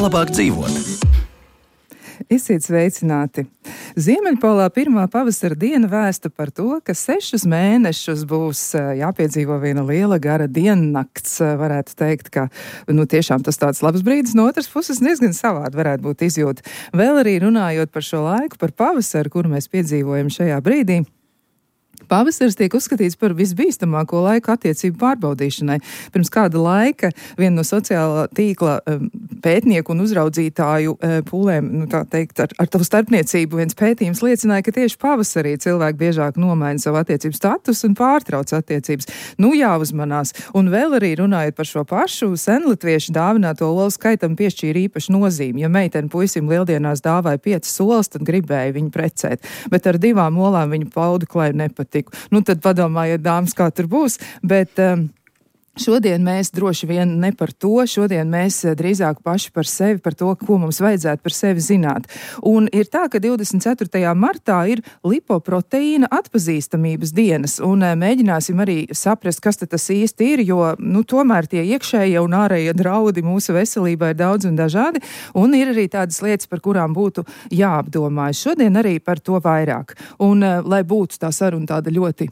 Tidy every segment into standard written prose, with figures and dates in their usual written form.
labāk dzīvot. Esiet sveicināti! Ziemeļpolā pirmā pavasara diena vēsta par to, ka 6 mēnešus būs jāpiedzīvo viena liela gara diennakts. Varētu teikt, ka tiešām tas tāds labs brīdis, no otras puses diezgan savādi varētu būt izjūta. Vēl arī runājot par šo laiku, par pavasaru, kuru mēs piedzīvojam šajā brīdī. Pavasaris tiek uzskatīts par visbīstamāko laiku attiecību pārbaudīšanai. Pirms kāda laika viena no sociālā tīkla pētnieku un uzraudzītāju pūlēm, tā teikt, ar tavu starpniecību viens pētījums liecināja, ka tieši pavasarī cilvēki biežāk nomaina savu attiecību status un pārtrauc attiecības. Jāuzmanās. Un vēl arī runājot par šo pašu, senlatvieši dāvināto olu skaitam piešķīra īpašu nozīmi. Ja meitene puisim lieldienās dāvāja 5 olas, tad gribēja viņu precēt. Bet ar 2 olām viņa pauda klaju nepatīk. Tad padomājiet, dāmas, kā tur būs, bet šodien mēs droši vien ne par to, šodien mēs drīzāk paši par sevi, par to, ko mums vajadzētu par sevi zināt. Un ir tā, ka 24. martā ir lipoproteīna atpazīstamības dienas, un mēģināsim arī saprast, kas tas īsti ir, jo, tomēr tie iekšējie un ārējie draudi mūsu veselībai ir daudz un dažādi, un ir arī tādas lietas, par kurām būtu jāapdomājas. Šodien arī par to vairāk. Un, lai būtu tā saruna tāda ļoti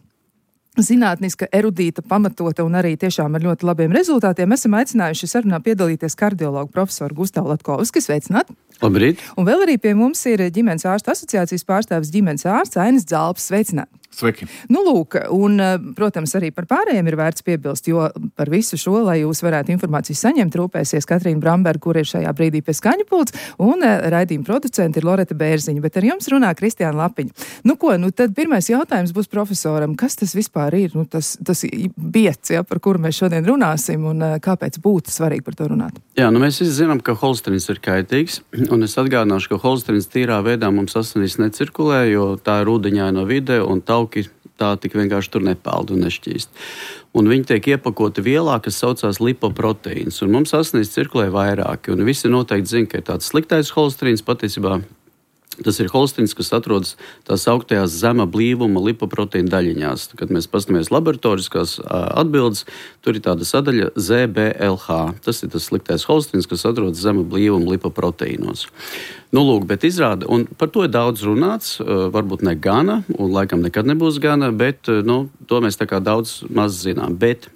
zinātniska, erudīta, pamatota un arī tiešām ar ļoti labiem rezultātiem, esam aicinājuši sarunā piedalīties kardiologu profesoru Gustavu Latkovski. Sveicināt! Labrīt! Un vēl arī pie mums ir ģimenes ārstu asociācijas pārstāvis ģimenes ārsts Ainis Dzalps. Sveicināt! Sveiki! Lūk, un, protams, arī par pārējiem ir vērts piebilst, jo par visu šo, lai jūs varētu informāciju saņemt, rūpēsies Katrīna Bramberga, kur ir šajā brīdī pie skaņu pults, un raidījuma producenti ir Loreta Bērziņa, bet ar jums runā Kristiāna Lapiņa. Tad pirmais jautājums būs profesoram, kas tas vispār ir, tas biets, par kuru mēs šodien runāsim, un kāpēc būtu svarīgi par to runāt? Jā, mēs visi zinām, ka holsterins ir kaitīgs, un es atgādināšu, ka holsterins tīrā veidā mums asinīs necirkulē, jo tā ir ūdeņaina vide, un tauki tā tik vienkārši tur nepeld un nešķīst. Un viņi tiek iepakoti vielā, kas saucās lipoproteīns, un mums asinīs cirkulē vairāki, un visi noteikti zina, ka ir tāds sliktais holsterins, patiesībā tas ir holsterins, kas atrodas tās augtajās zema blīvuma lipoproteīna daļiņās. Kad mēs paskatāmies laboratoriskās atbildes, tur ir tāda sadaļa ZBLH. Tas ir tas sliktais holsterins, kas atrodas zema blīvuma lipoproteīnos. Bet izrāda, un par to ir daudz runāts, varbūt ne gana, un laikam nekad nebūs gana, bet to mēs tā kā daudz maz zinām. Bet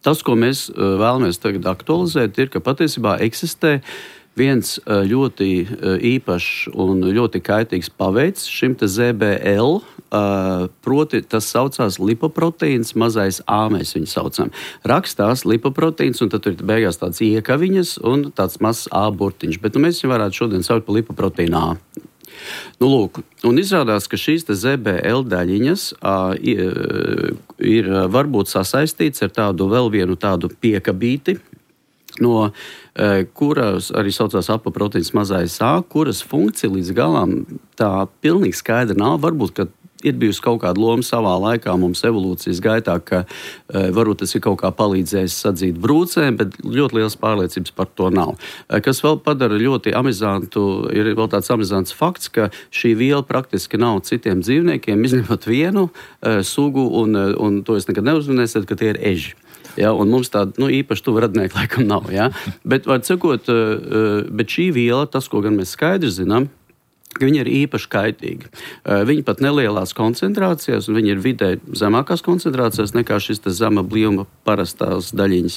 tas, ko mēs vēlamies tagad aktualizēt, ir, ka patiesībā eksistē viens ļoti īpašs un ļoti kaitīgs paveids šim te ZBL, proti tas saucās lipoproteīns mazais A, mēs viņu saucam. Rakstās lipoproteīns, un tad tur ir beigās tāds iekaviņas un tāds mazs A burtiņš, bet mēs viņu varētu šodien saukt par lipoproteīnu A. Un izrādās, ka šīs te ZBL daļiņas ir varbūt sasaistīts ar tādu vēl vienu tādu piekabīti, no kuras arī saucās apoproteīns mazais A, kuras funkcija līdz galam tā pilnīgi skaidra nav. Varbūt, ka ir bijusi kaut kāda loma savā laikā mums evolūcijas gaitā, ka varbūt tas ir kaut kā palīdzējis sadzīt brūcēm, bet ļoti liels pārliecības par to nav. Kas vēl padara ļoti amizantu, ir vēl tāds amizants fakts, ka šī viela praktiski nav citiem dzīvniekiem, izņemot vienu sugu, un to es nekad neuzminēsiet, ka tie ir eži. Ja, un mums tāda īpaši tuva radnieki laikam nav. Ja? Bet, var sakot, bet šī viela, tas, ko gan mēs skaidri zinām, ka viņi ir īpaši kaitīgi. Viņi pat nelielās koncentrācijās, un viņi ir vidē zemākās koncentrācijās nekā šis zema blīvuma parastās daļiņas.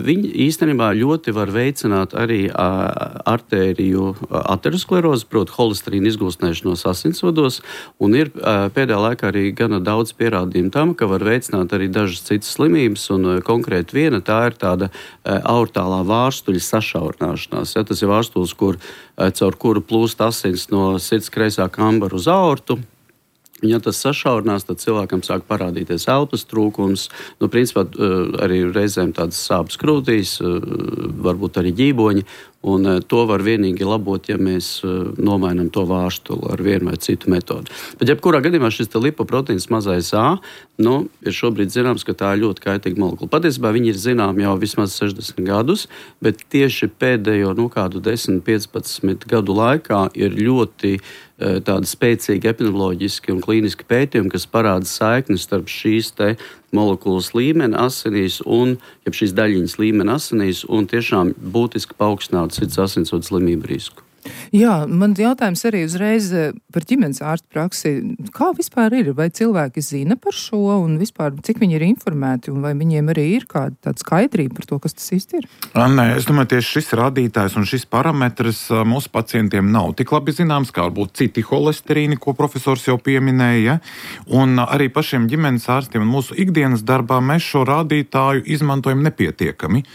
Viņi īstenībā ļoti var veicināt arī artēriju aterosklerozi, proti holesterīnu izgūstnēšanos asinsvados, un ir pēdējā laikā arī gana daudz pierādījumu tam, ka var veicināt arī dažas citas slimības, un konkrēti viena tā ir tāda aortālā vārstuļa sašaurināšanās. Ja, tas ir vārstulis, caur kuru plūst asins no sirds kreisā kambara uz aortu. Ja tas sašaurinās, tad cilvēkam sāk parādīties elpas trūkums, principā arī reizēm tādas sāpes krūtīs, varbūt arī ģīboņi, un to var vienīgi labot, ja mēs nomainam to vārstuli ar vienu vai citu metodi. Bet jebkurā gadījumā šis lipoproteīns mazais A, ir šobrīd zināms, ka tā ir ļoti kaitīga molekula. Patiesībā viņi ir zinām jau vismaz 60 gadus, bet tieši pēdējo kādu 10-15 gadu laikā ir ļoti tādi spēcīgi epidemioloģiski un klīniski pētījumi, kas parāda saikni starp šīs te molekulas līmeni asinīs un šīs daļiņas līmeni asinīs un tiešām būtiski paaugstinātu sirds asinsvadu slimību risku. Jā, man jautājums arī uzreiz par ģimenes ārstu praksi. Kā vispār ir? Vai cilvēki zina par šo un vispār cik viņi ir informēti un vai viņiem arī ir kāda tāda skaidrība par to, kas tas īsti ir? Nē, es domāju, tieši šis rādītājs un šis parametrs mūsu pacientiem nav tik labi zināms, kā varbūt citi holesterīni, ko profesors jau pieminēja. Un arī pašiem ģimenes ārstiem un mūsu ikdienas darbā mēs šo rādītāju izmantojam nepietiekami.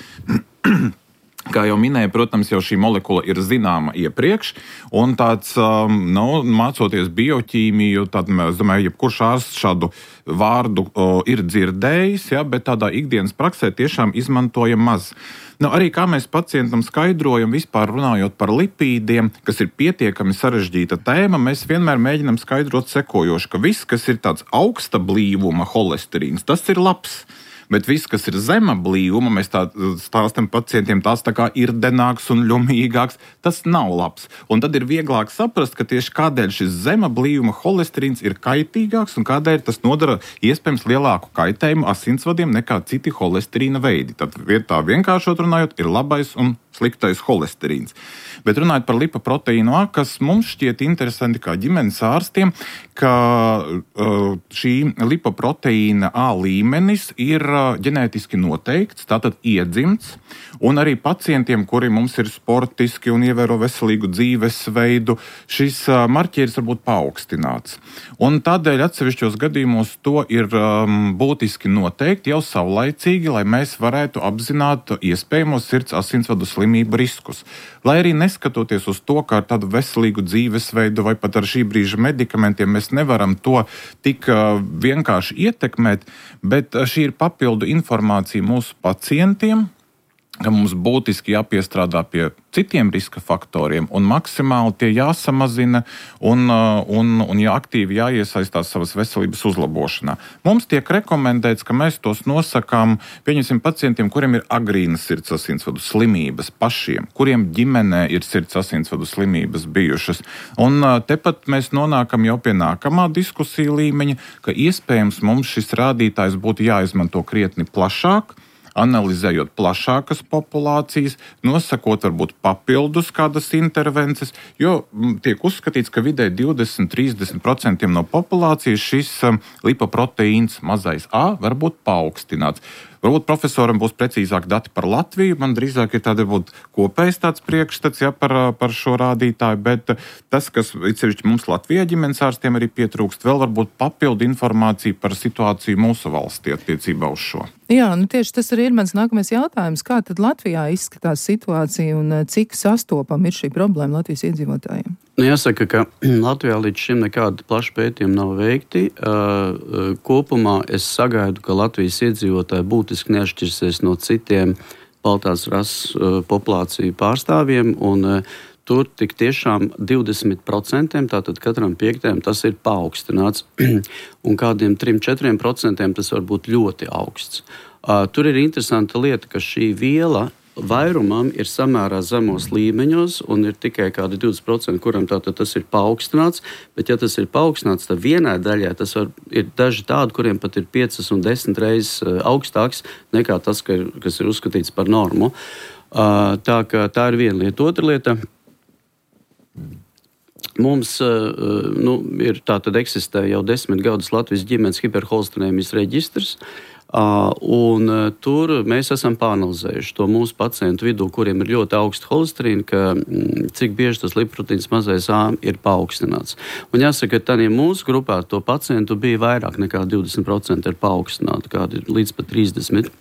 Kā jau minēju, protams, jau šī molekula ir zināma iepriekš, un tāds, mācoties bioķīmiju, tad, es domāju, jebkurš ārsts šādu vārdu ir dzirdējis, ja, bet tādā ikdienas praksē tiešām izmantojam maz. Arī kā mēs pacientam skaidrojam, vispār runājot par lipīdiem, kas ir pietiekami sarežģīta tēma, mēs vienmēr mēģinam skaidrot sekojoši, ka viss, kas ir tāds augsta blīvuma holesterīns, tas ir labs. Bet viss, kas ir zema blīvuma, mēs tā stāstam pacientiem, tās tā kā irdenāks un ļumīgāks, tas nav labs. Un tad ir vieglāk saprast, ka tieši kādēļ šis zema blīvuma holesterīns ir kaitīgāks un kādēļ tas nodara iespējams lielāku kaitējumu asinsvadiem nekā citi holesterīna veidi. Tad vietā vienkāršot runājot, ir labais un sliktais holesterīns. Bet runājot par lipoproteīnu A, kas mums šķiet interesanti kā ģimenes ārstiem, ka šī lipoproteīna A līmenis ir ģenētiski noteikts, tātad iedzimts, un arī pacientiem, kuri mums ir sportiski un ievēro veselīgu dzīvesveidu, šis marķieris var būt paaugstināts. Un tādēļ atsevišķos gadījumos to ir būtiski noteikt jau savlaicīgi, lai mēs varētu apzināt iespējamos sirds asinsvadu slimību riskus. Lai arī neskatoties uz to, ka ar tādu veselīgu dzīvesveidu vai pat ar šī brīža medikamentiem mēs nevaram to tik vienkārši ietekmēt, bet šī ir papildu informācija mūsu pacientiem, ka mums būtiski jāpiestrādā pie citiem riska faktoriem un maksimāli tie jāsamazina un aktīvi jāiesaistās savas veselības uzlabošanā. Mums tiek rekomendēts, ka mēs tos nosakām, pieņemsim pacientiem, kuriem ir agrīnas sirds asinsvadu slimības pašiem, kuriem ģimenē ir sirds asinsvadu slimības bijušas. Un tepat mēs nonākam jau pie nākamā diskusija līmeņa, ka iespējams mums šis rādītājs būtu jāizmanto krietni plašāk, analizējot plašākas populācijas, nosakot varbūt papildus kādas intervences, jo tiek uzskatīts, ka vidē 20-30% no populācijas šis lipoproteīns mazais A var būt paaugstināts. Varbūt profesoram būs precīzāk dati par Latviju, man drīzāk ir tāda kopējs tāds priekšstats par šo rādītāju, bet tas, kas sevišķi mums Latvijā ģimenes ārstiem arī pietrūkst, vēl varbūt papildu informāciju par situāciju mūsu valstī attiecībā uz šo. Jā, tieši tas arī ir mans nākamais jautājums. Kā tad Latvijā izskatās situācija un cik sastopama ir šī problēma Latvijas iedzīvotājiem? Jāsaka, ka Latvijā līdz šim nekāda plaša pētījuma nav veikti. Kopumā es sagaidu, ka Latvijas iedzīvotāji būtiski neatšķirsies no citiem baltās rases populāciju pārstāvjiem, un tur tik tiešām 20%, tātad katram piektajam tas ir paaugstināts, un kādiem 3-4% tas var būt ļoti augsts. Tur ir interesanta lieta, ka šī viela vairumam ir samērā zemos līmeņos, un ir tikai kādi 20%, kuram tātad tas ir paaugstināts, bet ja tas ir paaugstināts, tad vienai daļai tas ir daži tādi, kuriem pat ir 5 un 10 reizes augstāks nekā tas, kas ir uzskatīts par normu. Tā ir viena lieta. Otra lieta. Mums ir tātad eksistē jau 10 gadus Latvijas ģimenes hiperholesterinēmijas reģistrs, un tur mēs esam pāranalizējuši to mūsu pacientu vidū, kuriem ir ļoti augsta holesterīna, ka cik bieži tas lipoproteīns mazais A ir paaugstināts. Un jāsaka, ka tādā mūsu grupā to pacientu bija vairāk nekā 20% ir paaugstināti, kādi līdz pat 30%.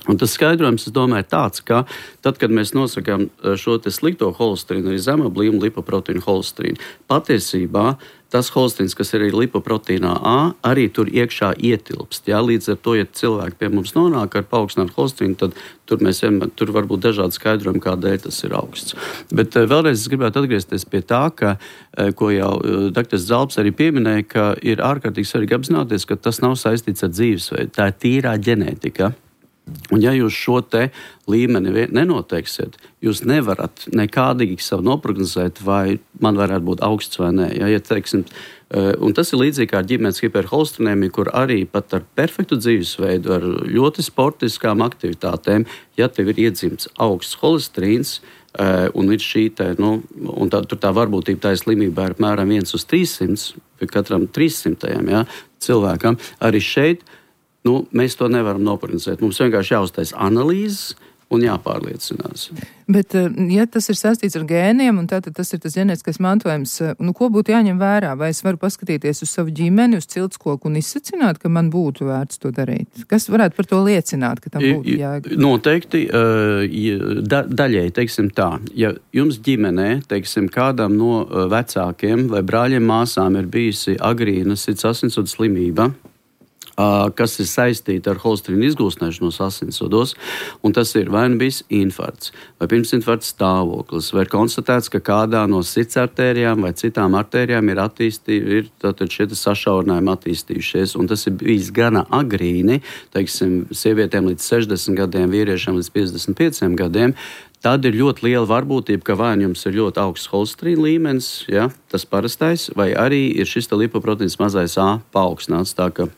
Un tas skaidrojums, es domāju, ir tāds, ka tad, kad mēs nosakām šo te slikto holesterīnu, arī zema blīvuma lipoproteīnu holesterīnu, patiesībā tas holesterīns, kas ir lipoproteīnā A, arī tur iekšā ietilpst. Jā? Līdz ar to, ja cilvēki pie mums nonāk ar paaugstinātu holesterīnu, tad tur var būt dažādi skaidrojumi, kādēļ tas ir augsts. Bet vēlreiz es gribētu atgriezties pie tā, ko jau dr. Zalps arī pieminēja, ka ir ārkārtīgi svarīgi apzināties, ka tas nav saistīts ar dzīvesveidu. Tā ir tīrā ģenētika. Un ja jūs šo te līmeni nenoteiksiet, jūs nevarat nekādīgi savu noprognozēt, vai man varētu būt augsts vai nē. Ja, teiksim, un tas ir līdzīgi kā ar ģimenes hiperholesterinēmiju, kur arī pat ar perfektu dzīvesveidu, ar ļoti sportiskām aktivitātēm, ja tev ir iedzimts augsts holesterīns, un ir šī un tā varbūtība tā slimībā ir apmēram 1 uz 300, pie katram 300 cilvēkam, arī šeit mēs to nevaram noprognozēt. Mums vienkārši jāuztais analīzes un jāpārliecinās. Bet, ja tas ir saistīts ar gēniem, un tātad tas ir tas ģenētiskais mantojums, ko būtu jāņem vērā? Vai es varu paskatīties uz savu ģimeni, uz ciltskoku un izsacināt, ka man būtu vērts to darīt? Kas varētu par to liecināt, ka tam būtu jāgaida? Noteikti, daļai, teiksim tā, ja jums ģimenē, teiksim, kādam no vecākiem vai brāļiem māsām ir bijusi agrīna sirds asinsvadu slimība, kas ir saistīta ar holesterīnu izgūstnēšanos asinsvados, un tas ir vai nu bijis infarkts, vai pirmsinfarkts stāvoklis, vai ir konstatēts, ka kādā no sirds artērijām vai citām artērijām ir šie sašaurinājumi attīstījušies, un tas ir bijis gana agrīni, teiksim, sievietēm līdz 60 gadiem, vīriešiem līdz 55 gadiem, tad ir ļoti liela varbūtība, ka vai jums ir ļoti augsts holesterīna līmenis, ja, tas parastais, vai arī ir šis lipoproteīns mazais A paaugstināts, tā ka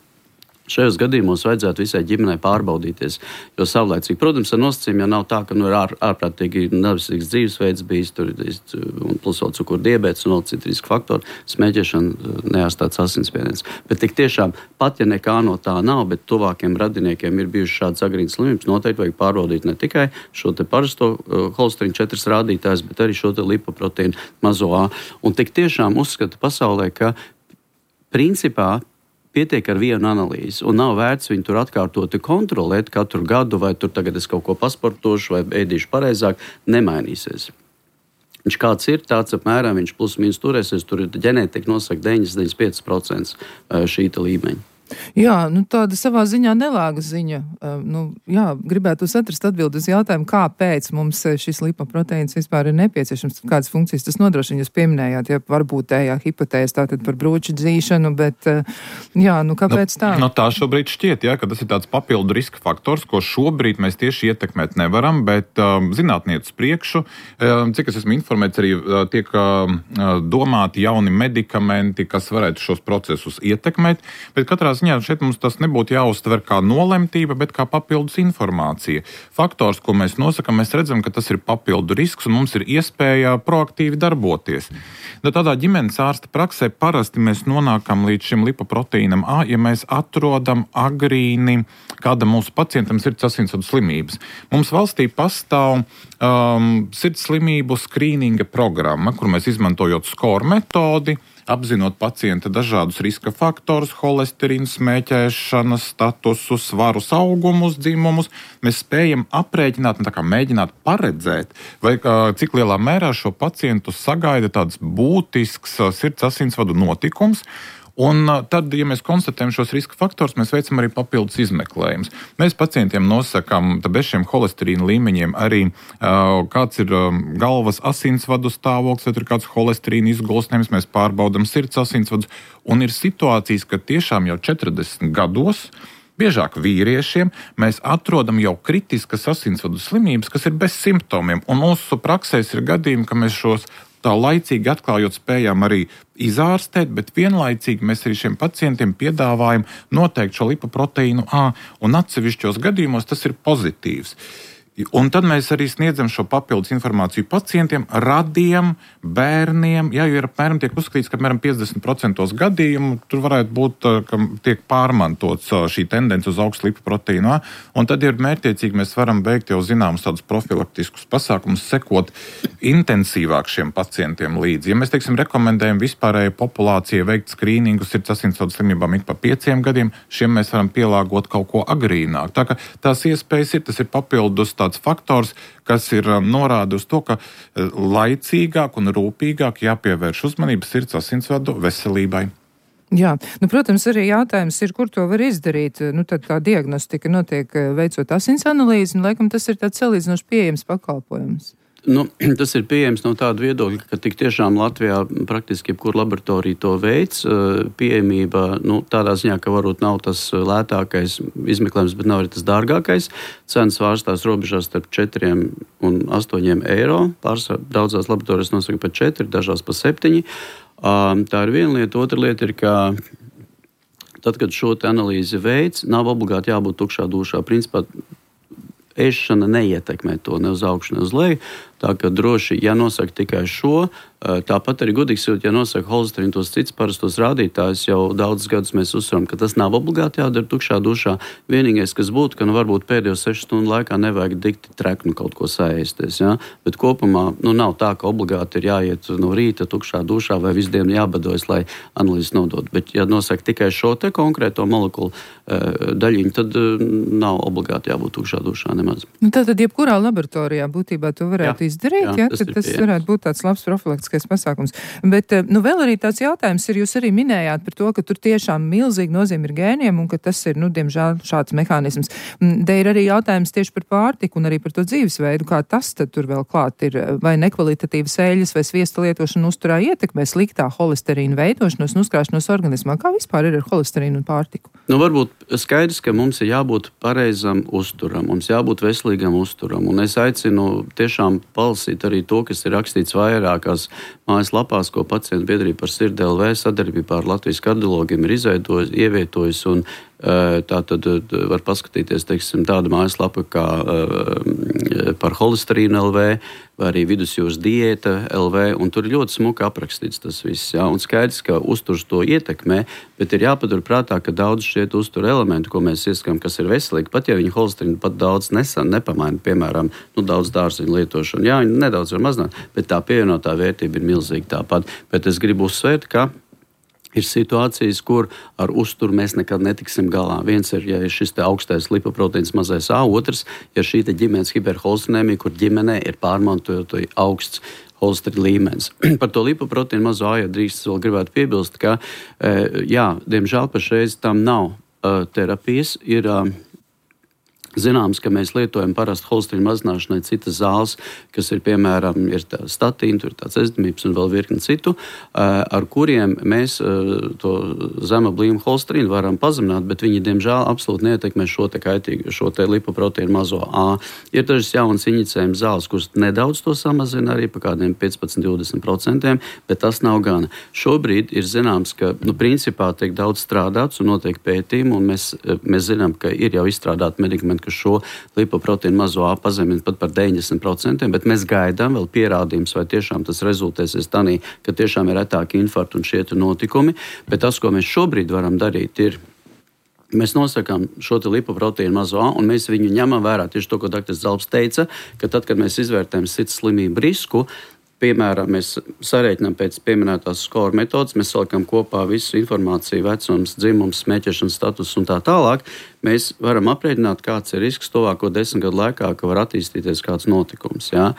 šajos gadījumos vajadzētu visai ģimenei pārbaudīties, jo savlaicīgi, protams, ar nosacījumu, ja nav tā, ka ir ārprātīgi neveselīgs dzīvesveids bijis, tur un plus vēl cukuru diabēts un vēl citi riska faktori, smēķēšana, neārstāts asinsspiediens. Bet tik tiešām, pat ja nekā no tā nav, bet tuvākiem radiniekiem ir bijuši šāds agrīnas slimības, noteikti vajag pārbaudīt ne tikai šo te parasto holesterīnu 4 rādītājs, bet arī šo te lipoproteīnu mazo A. Un tik tiešām uzskata pasaulē, ka principā pietiek ar vienu analīzi, un nav vērts viņu tur atkārtoti kontrolēt katru gadu, vai tur tagad es kaut ko pasportošu, vai ēdīšu pareizāk, nemainīsies. Viņš kāds ir, tāds apmēram viņš plus mīnus turēsies, tur ir ģenētika nosaka 95% šī līmeņa. Jā, tāda savā ziņā nelāga ziņa. Gribētu atrast atbildi uz jautājumu, kāpēc mums šis lipoproteīns vispār ir nepieciešams, kādas funkcijas tas nodrošina. Jūs pieminējāt, ja varbūtējā hipotēze tātad par brūču dzīšanu, bet kāpēc tā? Tā šobrīd šķiet, ka tas ir tāds papildu riska faktors, ko šobrīd mēs tieši ietekmēt nevaram, bet zinātnieces priekšu, cik es esmu informēts, arī tiek domāti jauni medikamenti, kas varētu šos procesus ietekmēt, bet katrā ziņā šeit mums tas nebūtu jāuztver kā nolemtība, bet kā papildus informācija. Faktors, ko mēs nosakam, mēs redzam, ka tas ir papildu risks un mums ir iespēja proaktīvi darboties. Tādā ģimenes ārsta praksē parasti mēs nonākam līdz šim lipoproteīnam A, ja mēs atrodam agrīni kādam mūsu pacientam sirds asinsvadu slimības. Mums valstī pastāv sirds slimību skrīninga programma, kur mēs izmantojot SCORE metodi, apzinot pacienta dažādus riska faktorus, holesterīnu, smēķēšanas statusus, svarus, augumus, dzimumus, mēs spējam aprēķināt un mēģināt paredzēt, vai cik lielā mērā šo pacientu sagaida tāds būtisks sirds asinsvadu notikums. Un tad, ja mēs konstatējam šos riska faktorus, mēs veicam arī papildus izmeklējumus. Mēs pacientiem nosakām bez šiem holesterīna līmeņiem arī kāds ir galvas asinsvadu stāvoklis, vai tur ir kāds holesterīna izgulsnējums, mēs pārbaudam sirds asinsvadus. Un ir situācijas, ka tiešām jau 40 gados, biežāk vīriešiem, mēs atrodam jau kritiskas asinsvadu slimības, kas ir bez simptomiem. Un mūsu praksēs ir gadījumi, ka mēs šos tā laicīgi atklājot spējām arī izārstēt, bet vienlaicīgi mēs arī šiem pacientiem piedāvājam noteikt šo lipoproteīnu A, un atsevišķos gadījumos tas ir pozitīvs. Un tad mēs arī sniedzam šo papildus informāciju pacientiem, radiem, bērniem, jo ir apmēram tiek uzskatīts, ka apmēram 50% gadījumu tur varētu būt, ka tiek pārmantots šī tendence uz augstu lipoproteīnu A, un tad ir mērķiecīgi mēs varam veikt jau zināmus tādus profilaktiskus pasākumus, sekot intensīvāk šiem pacientiem līdzi. Ja mēs, rekomendējam vispārējai populācijai veikt skrīningu sirds asinsvadu slimībām ik pa 5 gadiem, šiem mēs varam pielāgot kaut ko agrīnāk. Tā ka tās iespējas ir, tas ir papildus faktors, kas ir norāda uz to, ka laicīgāk un rūpīgāk jāpievērš uzmanība sirds asinsvadu veselībai. Jā, protams, arī jautājums ir, kur to var izdarīt. Tad tā diagnostika notiek veicot asins analīzi, un laikam tas ir tāds salīdzinoši pieejams pakalpojums. Tas ir pieejams no tāda viedokļa, ka tik tiešām Latvijā praktiski jebkura laboratorija to veids. Pieejamība tādā ziņā, ka varbūt nav tas lētākais izmeklējums, bet nav arī tas dārgākais. Cenas vārstās robežās starp 4 un 8 eiro. Daudzās laboratorijas nosaka par 4, dažās par 7. Tā ir viena lieta. Otra lieta ir, ka tad, kad šo analīzi veids, nav obligāti jābūt tukšā dušā. Principā ēšana neietekmē to ne uz augšu, ne uz leju. Tā kā droši, ja nosaka tikai šo, tāpat arī gudīgi sakot, ja nosaka holesterīnu tos cits parastos rādītājus, jau daudzus gadus mēs uzsveram, ka tas nav obligāti jādara tukšā dušā. Vienīgais, kas būtu, ka varbūt pēdējo 6 stundu laikā nevajag dikti treknu kaut ko saēsties. Ja? Bet kopumā nav tā, ka obligāti ir jāiet no rīta tukšā dušā vai visu dienu jābadojas, lai analīzes nodot. Bet ja nosaka tikai šo te konkrēto molekulu daļiņu, tad nav obligāti jābūt tukšā dušā nemaz. Tātad jebkurā laboratorijā būtībā to varētu izdarīt, tas varētu būt tāds labs profilaktiskais pasākums. Bet vēl arī tāds jautājums ir, jūs arī minējāt par to, ka tur tiešām milzīgi nozīme ir gēniem un ka tas ir, diemžēl, šāds mehānisms. Te ir arī jautājums tieši par pārtiku un arī par to dzīvesveidu, kā tas tad tur vēl klāt ir, vai nekvalitatīvas eļļas vai sviesta lietošana uzturā ietekmē sliktā holesterīna veidošanos un uzkrāšanos organismā. Kā vispār ir ar holesterīnu un pārtiku? Varbūt skaidrs, ka mums ir jābūt pareizam uzturam, mums jābūt veselīgam uzturam, un es aicinu tiešām palasīt arī to, kas ir rakstīts vairākās mājaslapās, ko pacientu biedrība par sirdi LV sadarbībā ar Latvijas kardiologiem ir ievietojusi, un tā tad var paskatīties, teiksim, tāda mājaslapa kā par holesterīnu LV vai arī vidusjūras diēta LV, un tur ļoti smuki aprakstīts tas viss, jā, un skaidrs, ka uzturs to ietekmē, bet ir jāpatur prātā, ka daudz šie uztura elementi, ko mēs ieskam, kas ir veselīgi, pat ja viņi holesterīnu pat daudz nepamaina, piemēram, daudz dārziņu lietošanu, jā, viņi nedaudz var mazināt, bet tā pievienotā vērtība ir milzīga tāpat, bet es gribu uzsvērt, ka ir situācijas, kur ar uzturu mēs nekad netiksim galā. Viens ir, ja ir šis te augstais lipoproteīns mazais A, otrs, ja šī te ģimenes hiperholesterīnemija, kur ģimenē ir pārmantojot augsts holesterīna līmenis. Par to lipoproteīnu mazo A, ja drīkst vēl gribētu piebilst, ka, diemžēl pašreiz tam nav terapijas, ir zināms, ka mēs lietojam parasti holesterīnu mazināšanai citas zāles, kas ir, piemēram, ir statīna, tur ir tāds ezdamības un vēl virkni citu, ar kuriem mēs to zema blīma holesterīnu varam pazemināt, bet viņi, diemžēl, absolūti neietekmē šo te kaitīgu, šo te lipoproteīnu mazo A. Ir dažas jaunas injicējuma zāles, kuras nedaudz to samazina arī pa kādiem 15-20%, bet tas nav gana. Šobrīd ir zināms, ka, principā tiek daudz strādāts un notiek pētījumi, un mēs zinām, ka ir jau izstrādāti medikamenti, ka šo lipoproteīnu mazo A pazemina pat par 90%, bet mēs gaidām vēl pierādījums, vai tiešām tas rezultēsies tanī, ka tiešām ir retāki infarkti un šie notikumi. Bet tas, ko mēs šobrīd varam darīt, ir mēs nosakām šo lipoproteīnu mazo A, un mēs viņu ņemam vērā tieši to, ko dr. Zalbs teica, ka tad, kad mēs izvērtējam sirds slimību risku, piemēram, mēs sarēķinām pēc pieminētās skora metodas, mēs salikam kopā visu informāciju, vecums, dzimums, smēķēšanas status un tā tālāk. Mēs varam aprēķināt, kāds ir risks tuvāko 10 gadu laikā, ka var attīstīties kāds notikums. Ja?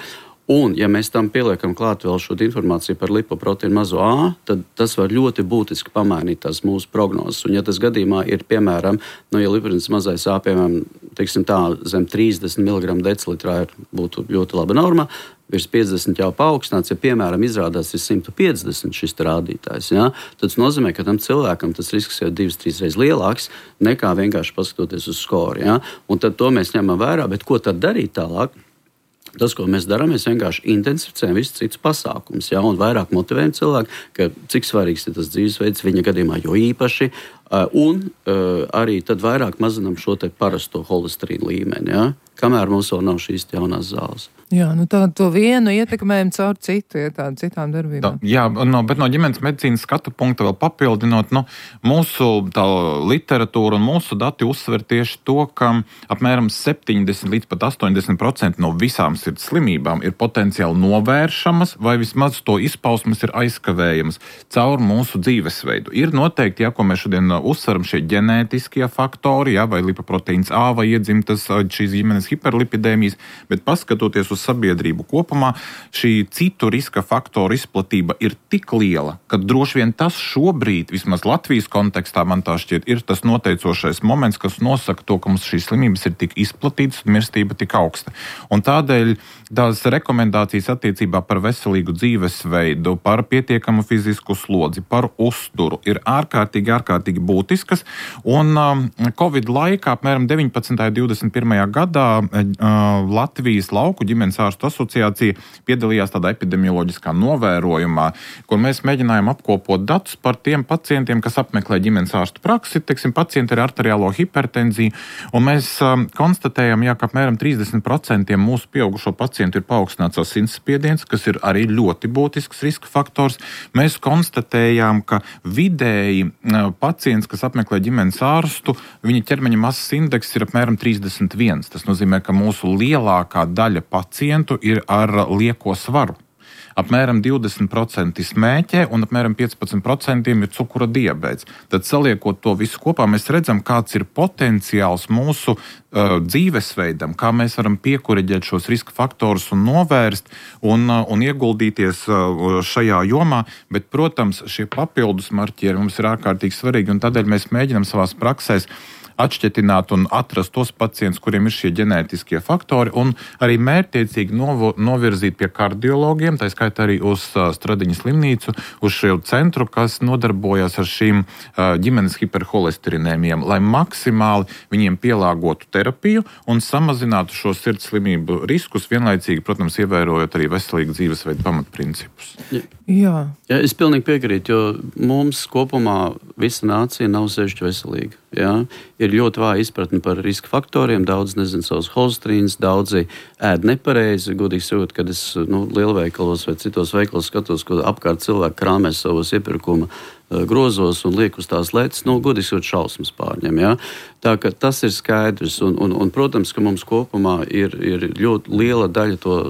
Un, ja mēs tam pieliekam klāt vēl šo informāciju par lipoproteīnu mazo A, tad tas var ļoti būtiski pamainīt tās mūsu prognozes. Un, ja tas gadījumā ir, piemēram, ja lipoproteīns mazais A, piemēram, teiksim tā, zem 30 mg decilitrā būtu ļoti laba norma, virs 50 jau paaugstināts, ja, piemēram, izrādās ir 150 šis rādītājs, ja, tad tas nozīmē, ka tam cilvēkam tas risks jau 2-3 reizes lielāks nekā vienkārši paskatoties uz skoru. Ja. Un tad to mēs ņemam vērā, bet ko tad darīt tālāk? Tas, ko mēs darām, mēs vienkārši intensificējam visus citus pasākumus, ja, un vairāk motivējam cilvēku, ka cik svarīgs ir tas dzīvesveids viņa gadījumā, jo īpaši, un arī tad vairāk mazinām šo te parasto holesterīnu līmeni, ja, kamēr mums vēl nav šīs jaunās zāles. Jā, to vienu ietekmējam caur citu, tādu citām darbībām. Jā, bet no ģimenes medicīnas skatu punkta vēl papildinot, mūsu tā literatūra un mūsu dati uzsver tieši to, ka apmēram 70 līdz pat 80% no visām sirds slimībām ir potenciāli novēršamas vai vismaz to izpausmes ir aizkavējamas caur mūsu dzīvesveidu. Ir noteikti, ko mēs šodien uzsveram šie ģenētiskie faktori, ja, vai lipoproteīns A vai iedzimtas šīs ģimenes hiperlipidēmijas, bet paskatoties uz sabiedrību kopumā, šī citu riska faktoru izplatība ir tik liela, ka droši vien tas šobrīd, vismaz Latvijas kontekstā, man tā šķiet, ir tas noteicošais moments, kas nosaka to, ka mums šīs slimības ir tik izplatītas un mirstība tik augsta. Un tādēļ tās rekomendācijas attiecībā par veselīgu dzīvesveidu, par pietiekamu fizisku slodzi, par uzturu ir ārkārtīgi būtiskas. Un Covid laikā, apmēram 19. un 21. gadā, Latvijas lauku ģimenes ārstu asociācija piedalījās tādā epidemioloģiskā novērojumā, kur mēs mēģinājām apkopot datus par tiem pacientiem, kas apmeklē ģimenes ārstu praksi, teiksim, pacienti ar arteriālo hipertenziju, un mēs konstatējam, ka apmēram 30% mūsu pieaugušo pacientu ir paaugstināts asinsspiediens, kas ir arī ļoti būtisks riska faktors. Mēs konstatējām, ka vidēji pacients, kas apmeklē ģimenes ārstu, viņa ķermeņa masas indeks ir apmēram 31. Tas nozīmē, ka mūsu lielākā daļa pacientu ir ar lieko svaru. Apmēram 20% smēķē un apmēram 15% ir cukura diabēts. Tad saliekot to visu kopā, mēs redzam, kāds ir potenciāls mūsu dzīvesveidam, kā mēs varam piekuriģēt šos riska faktorus un novērst un ieguldīties šajā jomā. Bet, protams, šie papildus marķieri mums ir ārkārtīgi svarīgi, un tādēļ mēs mēģinam savās praksēs atšķetināt un atrast tos pacientus, kuriem ir šie ģenētiskie faktori, un arī mērķtiecīgi novirzīt pie kardiologiem, tā skaitā arī uz Stradiņas slimnīcu, uz šo centru, kas nodarbojas ar šīm ģimenes hiperholesterinēmiem, lai maksimāli viņiem pielāgotu terapiju un samazinātu šo sirds slimību riskus, vienlaicīgi, protams, ievērojot arī veselīgu dzīvesveidu pamatprincipus. Jā, es pilnīgi piekrītu, jo mums kopumā visa nācija nav sevišķi veselīga. Jā. Ir ļoti vāja izpratne par riska faktoriem, daudz nezinu savus holesterīnus, daudzi ēd nepareizi. Godīgi sakot, kad es lielveikalos vai citos veikalos skatos, ko apkārt cilvēki krāmē savos iepirkuma grozos un liek uz tās lietas, godīgi sakot, šausmas pārņem. Jā. Tā ka tas ir skaidrs, un protams, ka mums kopumā ir ļoti liela daļa to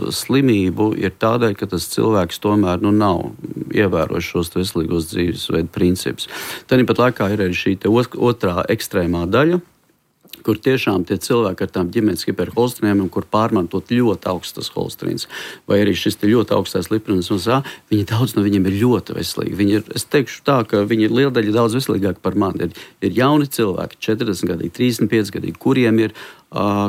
slimību ir tādēļ, ka tas cilvēks tomēr nav ievērojis šos veselīgos dzīvesveidu principus. Tāpat laikā ir arī šī otrā ekstrēmā daļa, kur tiešām tie cilvēki ar tām ģimenes hiperholesterinēmiem, kur pārmantot ļoti augstas holesterīns, vai arī šis ļoti augstais lipoproteins A, viņi daudz no viņiem ir ļoti veselīgi. Es teikšu tā, ka viņi ir liela daļa daudz veselīgāki par mani. Ir jauni cilvēki, 40 gadīgi, 35 gadīgi, kuriem ir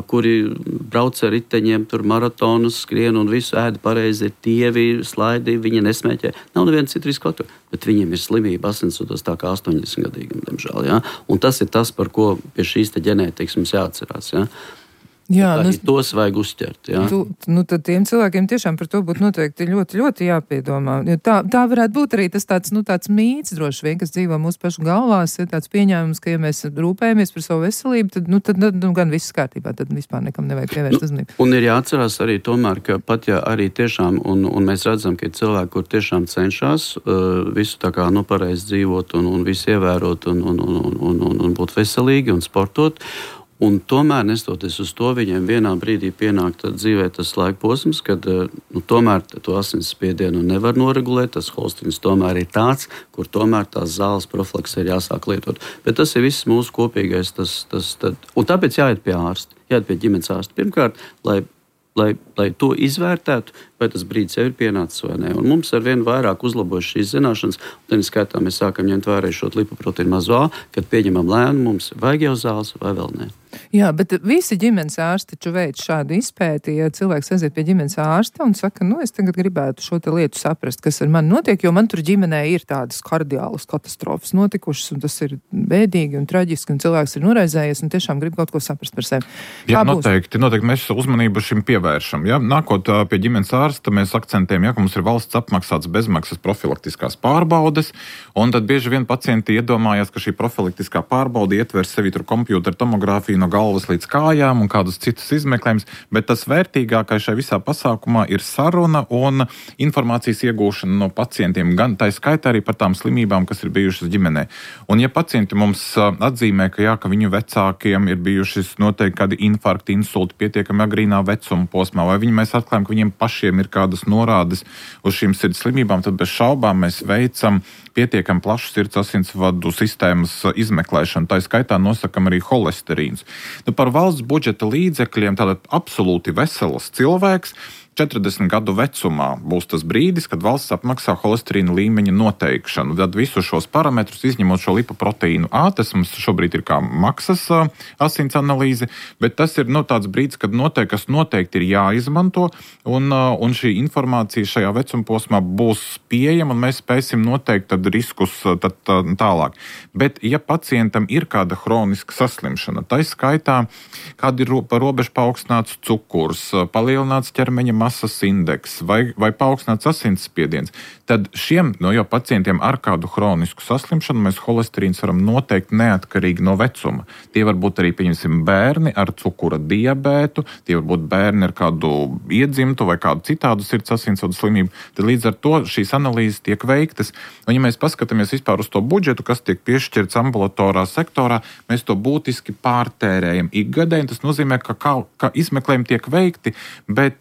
kuri brauc ar riteņiem, tur maratonus, skrien un visu ēda pareizi, ir tievi, slaidi, viņi nesmēķē. Nav neviena cita riska faktora, bet viņiem ir slimība asinsvados tā kā 80 gadīgam, diemžēl. Ja? Un tas ir tas, par ko pie šīs ģenētikas mums jāatcerās. Ja? Jā, tos vajag uzķert. Jā. Tad tiem cilvēkiem tiešām par to būtu noteikti ļoti, ļoti jāpiedomā. Jo tā varētu būt arī tas tāds mīts droši vien, kas dzīvo mūsu pašu galvās, ir tāds pieņēmums, ka ja mēs rūpējamies par savu veselību, tad gan viss kārtībā, tad vispār nekam nevajag pievērst uzmanību. Un ir jāatcerās arī tomēr, ka pat ja arī tiešām, un mēs redzam, ka ir cilvēki, kur tiešām cenšas visu tā kā pareizi dzīvot un visu ievērot un būt veselīgi un sportot, un tomēr, nestoties uz to, viņiem vienā brīdī pienāk dzīvē tas laika posms, kad tomēr to asinsspiedienu nevar noregulēt, tas holesterīns tomēr ir tāds, kur tomēr tās zāles profilakse ir jāsāk lietot. Bet tas ir viss mūsu kopīgais. Un tāpēc jāiet pie ārsta, jāiet pie ģimenes ārsta. Pirmkārt, lai to izvērtētu, vai tas brīdis jau ir pienācis vai nē. Un mums ar vien vairāk uzlabojas šīs zināšanas, un tad skaitā mēs sākam ņemt vērā šo lipoproteīnu mazo A, kad pieņemam lēmumu, mums vajag jau zāles vai vēl nē. Jā, bet visi ģimenes ārsti taču veic šādu izpēti, ja cilvēks aiziet pie ģimenes ārsta un saka, es tagad gribētu šo te lietu saprast, kas ar mani notiek, jo man tur ģimenē ir tādas kardiālas katastrofas notikušas, un tas ir bēdīgi un traģiski, un cilvēks ir noraizējies un tiešām grib kaut ko saprast par sevi. Jā, noteikti mēs uzmanību šim pievēršam. Ja? Nākot pie ģimenes ārsta, mēs akcentējam, ka mums ir valsts apmaksāts bezmaksas profilaktiskās pārbaudes, un tad bieži vien pacienti iedomājās, ka šī profilaktiskā pārbaude ietver sevi tur kompjūtera tomogrāfiju no galvas līdz kājām un kādus citus izmeklējumus, bet tas vērtīgākais šai visā pasākumā ir saruna un informācijas iegūšana no pacientiem, gan tā skaitā arī par tām slimībām, kas ir bijušas ģimenē. Un ja pacienti mums atzīmē, ka viņu vecākiem ir bijušas noteikti kādi infarkti, insulti pietiekami agrīnā vecuma posmā, vai mēs atklājam, ka viņiem pašiem ir kādas norādes uz šīm sirds slimībām, tad bez šaubām mēs veicam pietiekami plašu sirds asinsvadu sistēmas izmeklēšanu. Tā skaitā nosakam arī holesterīns. Par valsts budžeta līdzekļiem tātad absolūti vesels cilvēks 40 gadu vecumā būs tas brīdis, kad valsts apmaksā holesterīna līmeņa noteikšanu. Tad visus šos parametrus, izņemot šo lipoproteīnu A, tas mums šobrīd ir kā maksas asins analīze, bet tas ir tāds brīdis, kad kas noteikti ir jāizmanto, un šī informācija šajā vecuma posmā būs pieejama, un mēs spēsim noteikt tad riskus tālāk. Bet, ja pacientam ir kāda hroniska saslimšana, tā skaitā, kāda ir pa robežu paaugstināts cukurs, palielināts ķermeņa masas indeks vai paaugstināts asinsspiediens, tad šiem jau pacientiem ar kādu hronisku saslimšanu mēs holesterīns varam noteikt neatkarīgi no vecuma. Tie var būt arī, pieņemsim, bērni ar cukura diabētu, tie var būt bērni ar kādu iedzimtu vai kādu citādu sirds asinsvadu slimību. Tad līdz ar to šīs analīzes tiek veiktas. Un ja mēs paskatāmies vispār uz to budžetu, kas tiek piešķirts ambulatorā sektorā, mēs to būtiski pārtērējam ikgadē. Tas nozīmē, ka izmeklējumi tiek veikti, bet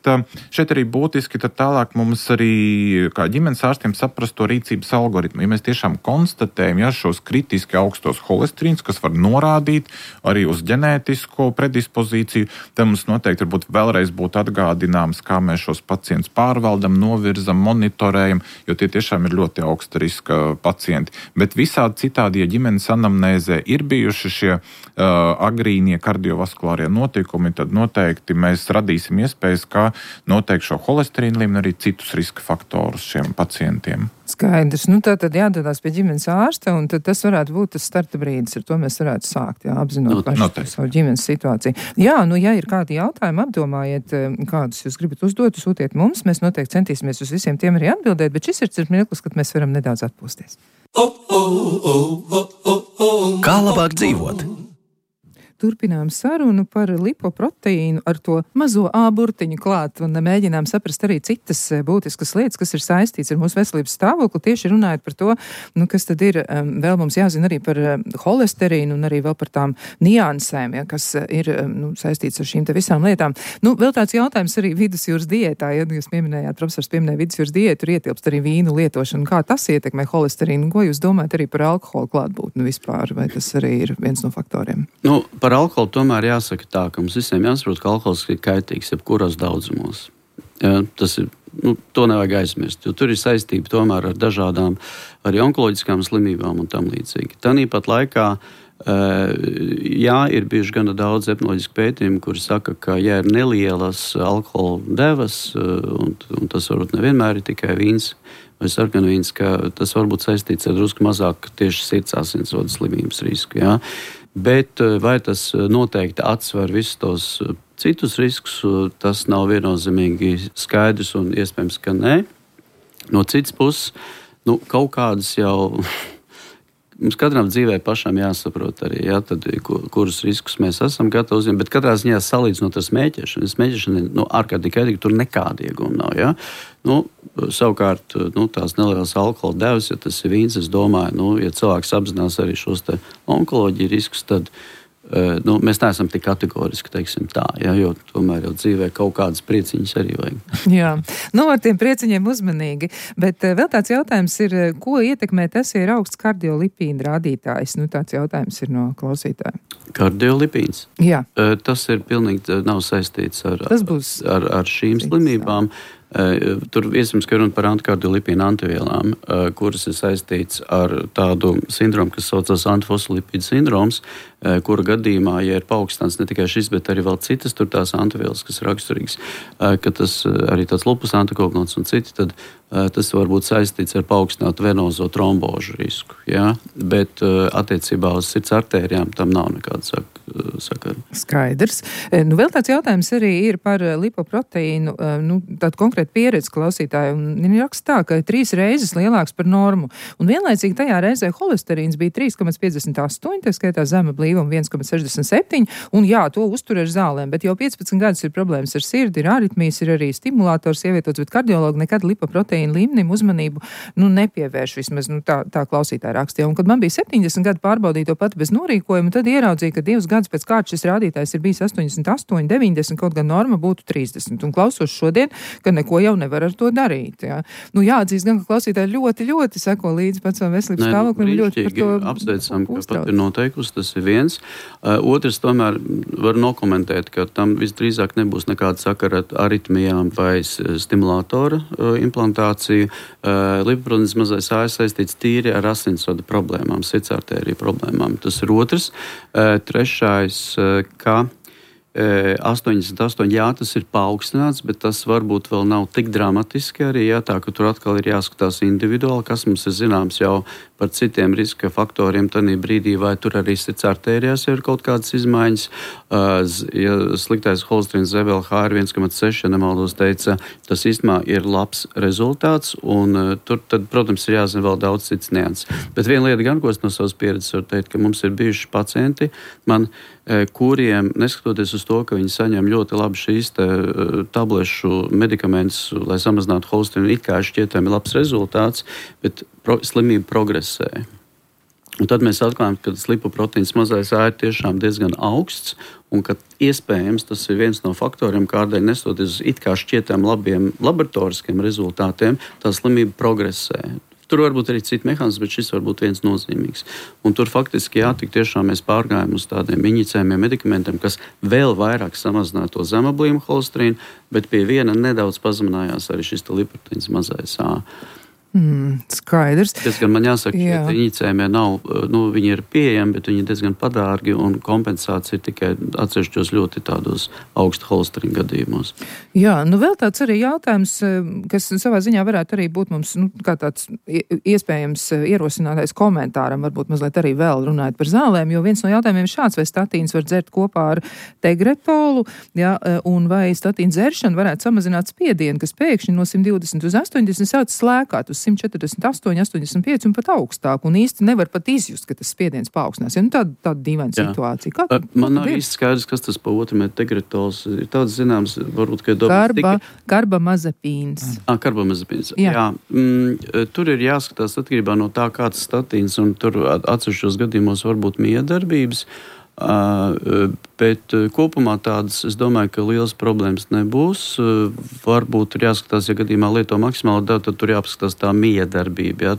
šeit arī būtiski tad tālāk mums arī kā ģimenes ārstiem saprast to rīcības algoritmu. Ja mēs tiešām konstatējam šos kritiski augstos holesterīns, kas var norādīt arī uz ģenētisko predispozīciju, tad mums noteikti varbūt vēlreiz būtu atgādināms, kā mēs šos pacientus pārvaldam, novirzam, monitorējam, jo tie tiešām ir ļoti augsta riska pacienti. Bet visādi citādi, ja ģimenes anamnēzē ir bijuši šie agrīnie kardiovaskulārie notikumi, tad noteikti mēs radīsim iespējas, kā noteikt šo holesterīnu līmeni, arī citus riska faktorus šiem pacientiem. Skaidrs. Tātad jādodās pie ģimenes ārsta, un tad tas varētu būt tas starta brīdis, ar to mēs varētu sākt, apzinot savu ģimenes situāciju. Ja ir kādi jautājumi, apdomājiet, kādus jūs gribat uzdot, sūtiet mums, mēs noteikti centīsimies uz visiem tiem arī atbildēt, bet šis ir mirklis, kad mēs varam nedaudz atpūsties. Kā labāk dzīvot? Turpinām sarunu par lipoproteīnu ar to mazo A burtiņu klāt un mēģinām saprast arī citas būtiskas lietas, kas ir saistīts ar mūsu veselības stāvokli. Tieši runājot par to, kas tad ir, vēl mums jāzina arī par holesterīnu un arī vēl par tām niansēm, kas ir saistīts ar šīm te visām lietām. Vēl tāds jautājums arī vidusjūras diētā, jūs pieminējāt, profesors pieminēja vidusjūras diētu, tur ietilpst arī vīnu lietošanu. Kā tas ietekmē holesterīnu? Ko jūs domājat arī par alkoholu klātbūtni vispār? Vai tas arī ir viens no faktoriem? Par alkoholu tomēr jāsaka tā, ka mums visiem jāsaprot, ka alkohols ir kaitīgs jebkuros daudzumos. Tas ir, to nevajag aizmirst, jo tur ir saistība tomēr ar dažādām arī onkoloģiskām slimībām un tam līdzīgi. Tāpat laikā, ir bijuši gana daudz etnoloģisku pētījumu, kuri saka, ka ja ir nelielas alkohola devas, un tas varbūt nevienmēr ir tikai vīns vai sarkanvīns, ka tas var būt saistīts ar drusku mazāk tieši sirds asinsvadu slimības risku. Bet vai tas noteikti atsver visus tos citus riskus, tas nav viennozīmīgi skaidrs un iespējams, ka nē. No citas puses, kaut kādas jau mums katram dzīvē pašam jāsaprot arī, tad, kurus riskus mēs esam gatavi uzņemt, bet katrā ziņā salīdzinot ar smēķēšanu. Smēķēšana ārkārtīgi kaitīga, tur nekāda ieguma nav. Savukārt, tās nelielas alkohola devas, ja tas ir vīns, es domāju, ja cilvēks apzinās arī šos te onkoloģiju riskus, tad mēs neesam tik kategoriski, teiksim tā, jo tomēr jau dzīvē kaut kādas prieciņas arī vajag. Jā, ar tiem prieciņiem uzmanīgi, bet vēl tāds jautājums ir, ko ietekmē tas, ja ir augsts kardiolipīna rādītājs? Tāds jautājums ir no klausītāja. Kardiolipīns? Jā. Tas ir pilnīgi nav saistīts ar šīm slimībām. Tur iespējams, ka runa par antikardiolipīnu antivielām, kuras ir saistīts ar tādu sindromu, kas saucas antifosfolipīdu sindroms, kura gadījumā, ja ir paaugstināts ne tikai šis, bet arī vēl citas tur tās antivielas, kas ir raksturīgas, ka tas arī tāds lupus antikoagulants un citi, tad tas var būt saistīts ar paaugstinātu venozo trombožu risku. Bet attiecībā uz sirds artērijām tam nav nekāda sakara. Skaidrs. Vēl tāds jautājums arī ir par lipoproteīnu, tādu konkrētu pieredzi klausītāju. Viņi raksta tā, ka 3 reizes lielāks par normu. Un vienlaicīgi tajā reizē holesterīns bija 3,58, tā skaitā zema blīvuma 1,67, un to uztur ar zālēm. Bet jau 15 gadus ir problēmas ar sirdi, ir aritmijas, ir arī stimulators ievietots, bet kardiologi nekad lipoproteīnu līmenim uzmanību nepievērš, vismaz tā klausītāja rakstīja. Un kad man bija 70 gadu pārbaudīja to pati bez norīkojuma, tad ieraudzīja, ka 2 gadus pēc kārtas šis rādītājs ir bijis 88, 90, kaut gan norma būtu 30. Un klausos šodien, ka neko jau nevar ar to darīt. Jā. Nu, jāatzīst gan, ka klausītāji ļoti seko līdzi pats savam veselības stāvoklim. Ļoti par to apsveicam, ka pat ir noteikusi, tas ir viens. Otrs tomēr var nokomentēt, ka tam visdrīzāk nebūs nekāda sakara ar aritmijām vai stimulātora implantāciju. Lipoproteīns mazais A ir saistīts tīri ar asinsvadu problēmām, sirdsartēriju problēmām. Tas ir otrs. Trešais, ka 88, jā, tas ir paaugstināts, bet tas varbūt vēl nav tik dramatiski arī, jā, tā, ka tur atkal ir jāskatās individuāli, kas mums ir zināms jau par citiem riska faktoriem tanī brīdī, vai tur arī sirdsartērijās ir kaut kādas izmaiņas. Ja sliktais holesterīns ZVLH ir 1,6, ja nemaldos teica, tas īstenībā ir labs rezultāts, un tur tad, protams, ir jāzina vēl daudz cits nianses. Bet viena lieta gan, ko es no savas pieredzes varu teikt, ka mums ir bijuši pacienti, kuriem, neskatoties uz to, ka viņi saņem ļoti labi šīs tablešu medikamentus, lai samazinātu holesterīnu, it kā šķietami labs rezultāts, bet slimība progresē. Un tad mēs atklājam, ka tas lipoproteīns mazais A ir tiešām diezgan augsts, un ka iespējams tas ir viens no faktoriem, kādēļ nestoties uz it kā šķietami labiem laboratoriskiem rezultātiem, tā slimība progresē. Tur varbūt arī citi mehānismi, bet šis var būt viens nozīmīgs. Un tur faktiski tik tiešām mēs pārgājām uz tādiem injicējumiem medikamentiem, kas vēl vairāk samazināja to zemoblīmu holesterīnu, bet pie viena nedaudz pazeminājās arī šis lipoproteīns mazais A. Skaidrs. Diezgan man jāsaka, ka injicējumie nav, viņi ir pieejami, bet viņi ir diezgan padārgi, un kompensācija ir tikai atsevišķos ļoti tādos augsta holesterīna gadījumos. Jā, vēl tāds arī jautājums, kas savā ziņā varētu arī būt mums, kā tāds iespējams ierosinātais komentāram, varbūt mazliet arī vēl runājot par zālēm, jo viens no jautājumiem ir šāds, vai statīns var dzert kopā ar tegretolu, un vai statīna dzeršana varētu samazināt spiedienu, kas pēkšņi no 120 uz 80 sāc slēkāt uz 148, 85 un pat augstāk, un īsti nevar pat izjust, ka tas spiediens paaugstinās. Ja, tāda dīvaina situācija. Man nav īsti skaidrs, kas tas pa otru met tegretols. Ir tāds zināms, varbūt, ka karbamazepīns. Karbamazepīns. Jā. Tur ir jāskatās atkarībā no tā, kāds statīns, un tur atsevišķos gadījumos varbūt miedarbības. Bet kopumā tādas, es domāju, ka liels problēmas nebūs. Varbūt ir jāskatās, ja gadījumā lieto maksimāli daudz, tad tur jāpaskatās tā miedarbība,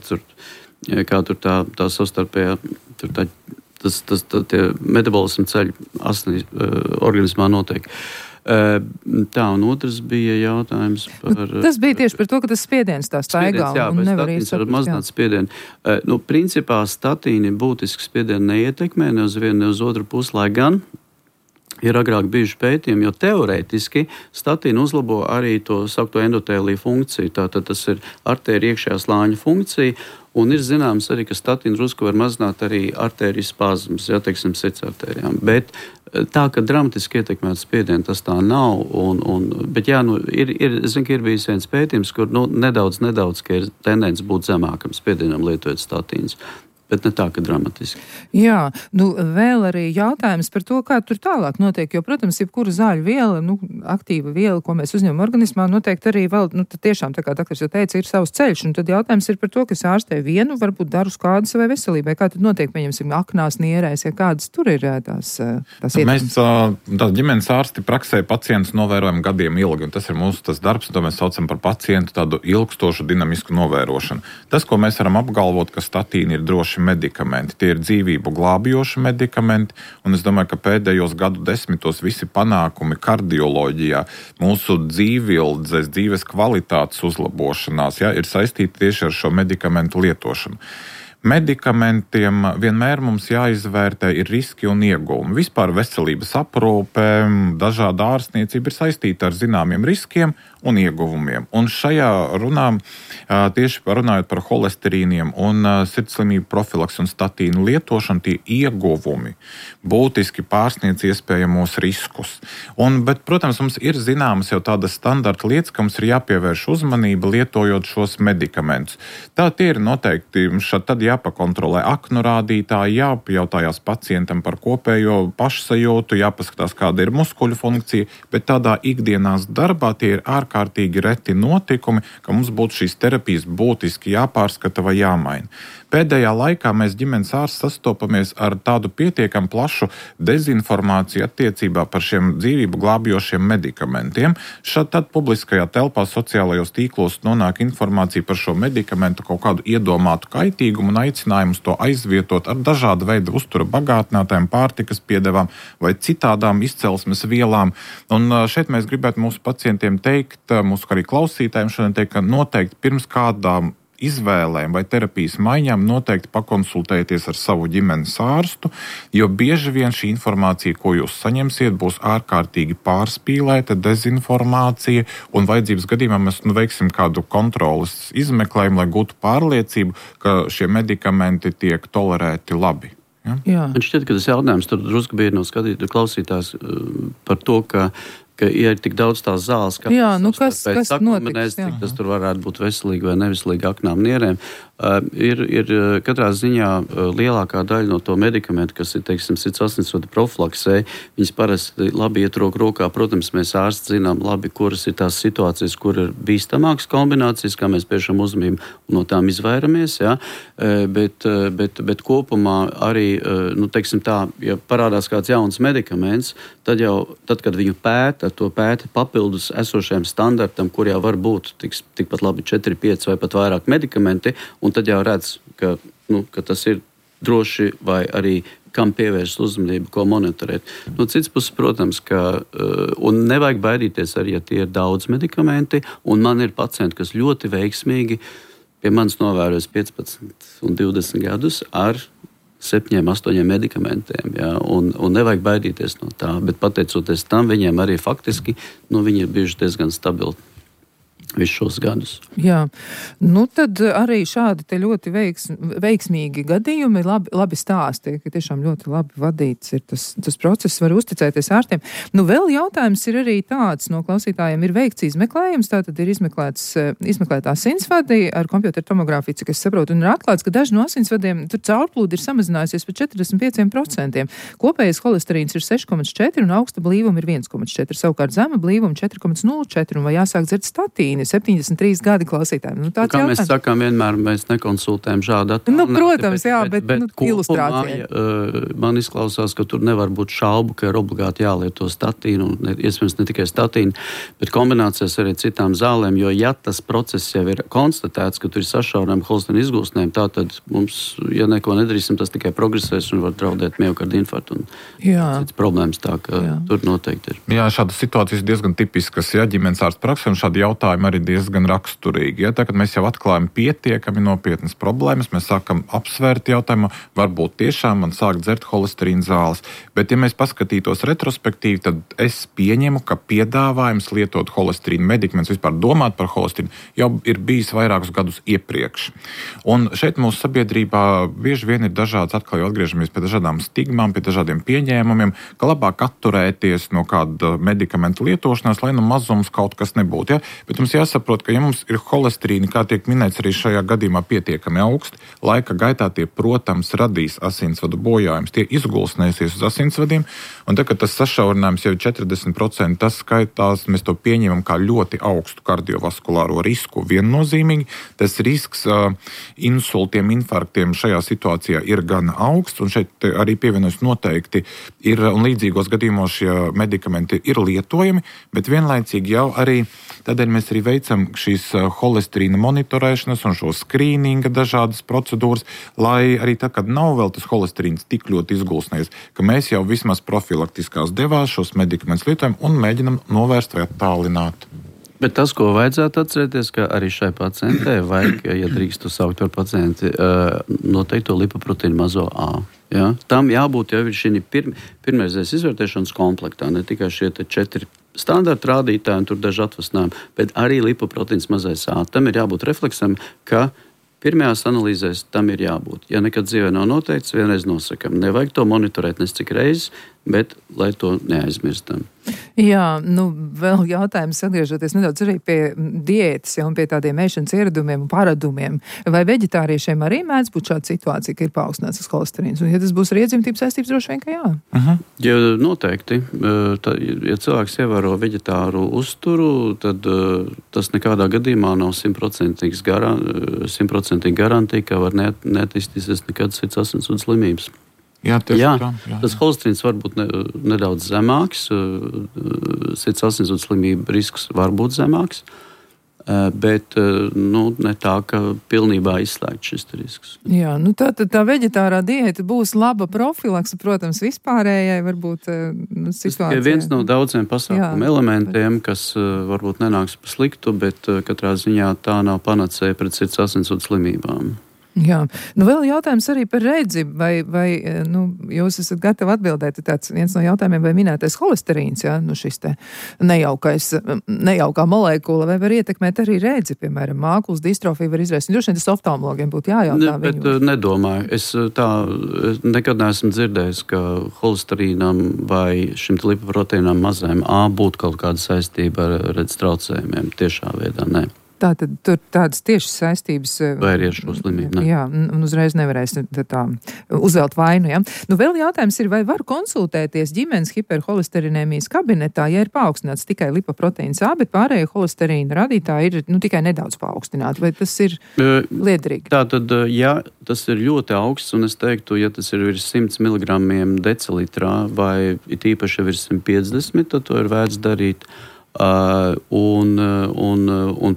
kā tur tā savstarpējā, tie metabolismu ceļi asinīs organismā notiek. Tā, un otrs bija jautājums par... Tas bija tieši par to, ka tas spiediens tā staigā un nevar iesaprast. Mazināt spiedienu. Principā statīni būtiski spiedienu neietekmē, ne uz vienu, ne uz otru pusi, lai gan ir agrāk bijuši pētījumi, jo teorētiski statīni uzlabo arī to saukto endotēliju funkciju. Tātad tas ir artērija iekšējā slāņa funkcija, un ir zināms arī, ka statīni drusku var mazināt arī artēriju spazmus, teiksim, sirdsartērijām. Bet tā, ka dramatiski ietekmētu spiedienu, tas tā nav. Bet es zinu, ka ir bijis viens pētījums, kur nedaudz, ka ir tendence būt zemākam spiedienam lietojot statīnus. Bet ne tā, ka dramatiski. Jā, vēl arī jautājums par to, kā tur tālāk notiek, jo, protams, jebkura zāļu viela, aktīva viela, ko mēs uzņemam organismā, noteikti arī vēl, tad tiešām, tā kā doktors jau teica, ir savs ceļš, un tad jautājums ir par to, kas ārstē vienu, varbūt daru skādu savai veselībai. Kā tad notiek, pieņemsim, aknās, nierēs, ja kādas tur ir tās ietekmes? Mēs ģimenes ārsti praksē pacientus novērojam gadiem ilgi, un tas ir mūsu tas darbs, to mēs saucam par pacientu tādu ilgstošu dinamisku novērošanu. Tas, ko mēs varam apgalvot, ka statīni ir droši medikamenti. Tie ir dzīvību glābjoši medikamenti, un es domāju, ka pēdējos gadu desmitos visi panākumi kardioloģijā, mūsu dzīvildzes, dzīves kvalitātes uzlabošanās, ir saistīti tieši ar šo medikamentu lietošanu. Medikamentiem vienmēr mums jāizvērtē ir riski un ieguvumi. Vispār veselības aprūpe, dažāda ārstniecība ir saistīta ar zināmiem riskiem un ieguvumiem. Un šajā runā, tieši runājot par holesterīniem un sirdslimību profilakses un statīnu lietošanu, tie ieguvumi būtiski pārsniedz iespējamos riskus. Bet, protams, mums ir zināmas jau tādas standarta lietas, ka mums ir jāpievērš uzmanība lietojot šos medikamentus. Tā tie ir noteikti, tad jāpakontrolē aknu rādītāji, jāpajautājās pacientam par kopējo pašsajūtu, jāpaskatās, kāda ir muskuļu funkcija, bet tādā ikdienās darbā tie ir ārkārtīgi reti notikumi, ka mums būtu šīs terapijas būtiski jāpārskata vai jāmaina. Pēdējā laikā mēs ģimenes ārsti sastopamies ar tādu pietiekam plašu dezinformāciju attiecībā par šiem dzīvību glābjošiem medikamentiem. Tad publiskajā telpā, sociālajos tīklos nonāk informācija par šo medikamentu kaut kādu iedomātu kaitīgumu un aicinājumus to aizvietot ar dažādu veidu uztura bagātinātājiem, pārtikas piedevām vai citādām izcelsmes vielām. Un šeit mēs gribētu mūsu pacientiem teikt, mūsu arī klausītājiem šodien teikt, ka noteikti pirms kādām izvēlēm vai terapijas maiņām noteikti pakonsultēties ar savu ģimenes ārstu, jo bieži vien šī informācija, ko jūs saņemsiet, būs ārkārtīgi pārspīlēta, dezinformācija, un vajadzības gadījumā mēs veiksim kādu kontroles izmeklējumu, lai gūtu pārliecību, ka šie medikamenti tiek tolerēti labi. Ja? Jā. Man šķiet, ka tas jautājums tur drusku bija no klausītājs par to, ka ja ir tik daudz tās zāles, kas notiks, cik tas tur varētu būt veselīgi vai neveselīgi aknām nierēm. Ir katrā ziņā lielākā daļa no to medikamentu, kas ir, teiksim, sirds asinsvadu profilaksē, viņas parasti labi iet roku rokā. Protams, mēs ārsti zinām labi, kuras ir tās situācijas, kur ir bīstamākas kombinācijas, kā mēs piešam uzmanību un no tām izvairamies, ja? Bet kopumā arī, teiksim tā, ja parādās kāds jauns medikaments, tad, kad viņu pēta papildus esošajam standartam, kur jau var būt tikpat labi 4, 5 vai pat vairāk medikamenti, un tad jau redz, ka tas ir droši vai arī kam pievērst uzmanību, ko monitorēt. No citas puses, protams, un nevajag baidīties arī, ja tie ir daudz medikamenti, un man ir pacienti, kas ļoti veiksmīgi pie manis novērojas 15 un 20 gadus ar 7, 8 medikamentiem, ja, un nevajag baidīties no tā, bet pateicoties tam, viņiem arī faktiski, viņi ir bijuši diezgan stabili visus šos gadus. Jā, tad arī šādi te ļoti veiksmīgi gadījumi, labi stāsti, ka tiešām ļoti labi vadīts ir tas process, var uzticēties ārstiem. Vēl jautājums ir arī tāds, no klausītājiem ir veikts izmeklējums, tātad ir izmeklēta asinsvadi ar kompjuteru tomogrāfiju, cik es saprotu, un ir atklāts, ka daži no asinsvadiem tur caurplūdi ir samazinājusies par 45%. Kopējais holesterīns ir 6,4 un augsta blīvuma ir 1,4, savukārt zema blīvuma 4,04, un vai jāsāk dzert statīnu? 73 gadi klausītājiem. Kā mēs sakām, vienmēr mēs nekonsultējam šādu attālinājumu. Protams, jā, bet ilustrācija. Man izklausās, ka tur nevar būt šaubu, ka ir obligāti jālieto statīnu, un iespējams ne tikai statīnu, bet kombinācijas arī citām zālēm, jo ja tas process jau ir konstatēts, ka tur ir sašaurinājumi holesterīna izgūstnēm, tātad mums, ja neko nedarīsim, tas tikai progresēs un var draudēt miokarda infarktu un cits problēmas, tā ka tur noteikti ir. Jā, šādas situācijas diezgan tipiskas, ģimenes ārsta praksē, un šādi jautājumi arī diezgan raksturīgi. Ja? Tagad mēs jau atklājam pietiekami nopietnas problēmas, mēs sākam apsvērt jautājumu, varbūt tiešām man sāk dzert holesterīna zāles. Bet, ja mēs paskatītos retrospektīvi, tad es pieņemu, ka piedāvājums lietot holesterīna medikamentus, vispār domāt par holesterīnu, jau ir bijis vairākus gadus iepriekš. Un šeit mūsu sabiedrībā bieži vien ir dažādas, atkal jau atgriežamies pie dažādām stigmām, pie dažādiem pieņēmumiem, ka labāk atturēties no kāda medikamentu lietošanās, lai mazums kaut kas nebūtu. Ja? Bet mums jāsaprot, ka ja mums ir holesterīni, kā tiek minēts arī šajā gadījumā, pietiekami augsti, laika gaitā tie, protams, radīs asinsvadu bojājumus, tie izgulsnēsies uz asinsvadiem, un tad, kad tas sašaurinājums jau ir 40%, tas skaitās, mēs to pieņemam kā ļoti augstu kardiovaskulāro risku viennozīmīgi. Tas risks insultiem, infarktiem šajā situācijā ir gan augsts, un šeit arī pievienojas noteikti ir, un līdzīgos gadījumos šie medikamenti ir lietojami, bet vienlaicīgi jau arī tādēļ mēs arī veicam šīs holesterīna monitorēšanas un šo skrīninga dažādas procedūras, lai arī tad, kad nav vēl tas holesterīns tik ļoti izgulsnējies, ka mēs jau vismaz profilaktiskās devās šos medikamentus lietojam un mēģinam novērst vai attālināt. Bet tas, ko vajadzētu atcerēties, ka arī šai pacientei vajag, ja drīkstu saukt par pacienti, noteikto lipoproteīnu mazo A. Ja? Tam jābūt jau šī pirmreizēs izvērtēšanas komplektā, ne tikai šie 4 standarta rādītāji un tur daži atvasinājumi, bet arī lipoproteīns mazais A. Tam ir jābūt refleksam, ka pirmajās analīzēs tam ir jābūt. Ja nekad dzīvē nav noteikts, vienreiz nosakam. Nevajag to monitorēt nes cik reizes, bet lai to neaizmirstam. Jā, vēl jautājums atgriežoties nedaudz arī pie diētas, un pie tādiem ēšanas ieradumiem un paradumiem. Vai veģetāriešiem arī mēdz būt šāda situācija, ka ir paaugstināts tas holesterīns? Un ja tas būs ar iedzimtības saistības, droši vien, ka jā. Ja noteikti. Ja cilvēks ievēro veģetāru uzturu, tad tas nekādā gadījumā nav 100% garantija, ka var neattīstīsies nekad sirds asinsvadu slimības. Jā, tas holesterīns var būt nedaudz zemāks, sirds asinsvadu slimību risks var būt zemāks, bet ne tā, ka pilnībā izslēgt šis risks. Jā, tā veģetārā diēta būs laba profilakse, protams, vispārējai varbūt situācijai. Viens no daudziem pasākumu elementiem, kas varbūt nenāks pa sliktu, bet katrā ziņā tā nav panacēja pret sirds asinsvadu slimībām. Jā, vēl jautājums arī par redzi, vai jūs esat gatavi atbildēt, tāds viens no jautājumiem, vai minētais holesterīns, šis te nejaukā molekula, vai var ietekmēt arī redzi, piemēram, mākulas distrofiju var izraisīt. Droši vien tas oftalmologiem būtu jājautā. Bet nedomāju. Es nekad neesmu dzirdējis, ka holesterīnam vai šim lipoproteīnam mazajam A būtu kaut kāda saistība ar redzes traucējumiem. Tiešā veidā, nē. Tātad tur tādas tiešas saistības. Vai arī ar šo slimību, ne? Jā, un uzreiz nevarēs tā uzvelt vainu, ja. Vēl jautājums ir, vai var konsultēties ģimenes hiperholesterinēmijas kabinetā, ja ir paaugstināts tikai lipoproteīns A, bet pārējie holesterīna radītāji ir tikai nedaudz paaugstināti, vai tas ir liederīgi? Tātad, ja tas ir ļoti augsts, un es teiktu, ja tas ir virs 100 mg decilitrā, vai it īpaši virs 150, tad to ir vērts darīt.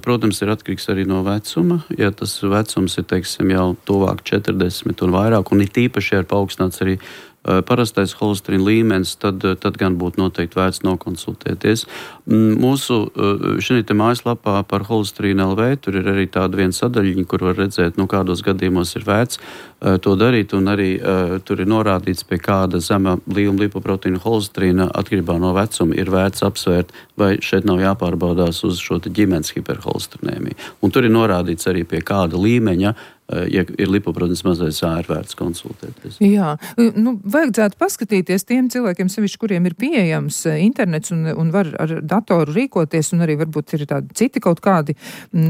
Protams, ir atkarīgs arī no vecuma. Ja tas vecums ir, teiksim, jau tuvāk 40 un vairāk, un it īpaši ir paaugstināts arī parastais holesterīna līmenis, tad gan būtu noteikti vērts nokonsultēties. Mūsu šī mājaslapā par holesterīnu LV tur ir arī tāda viena sadaļiņa, kur var redzēt, kādos gadījumos ir vērts to darīt, un arī tur ir norādīts, pie kāda zema līnuma lipoproteīna holesterīna atkarībā no vecuma ir vērts apsvērt, vai šeit nav jāpārbaudās uz šo ģimenes hiperholesterinēmiju. Un tur ir norādīts arī pie kāda līmeņa, ja ir lipoproteīns mazais A, ir vērts konsultēties. Jā, vajadzētu paskatīties tiem cilvēkiem, sevišķi, kuriem ir pieejams internets un var ar datoru rīkoties, un arī varbūt ir tādi citi kaut kādi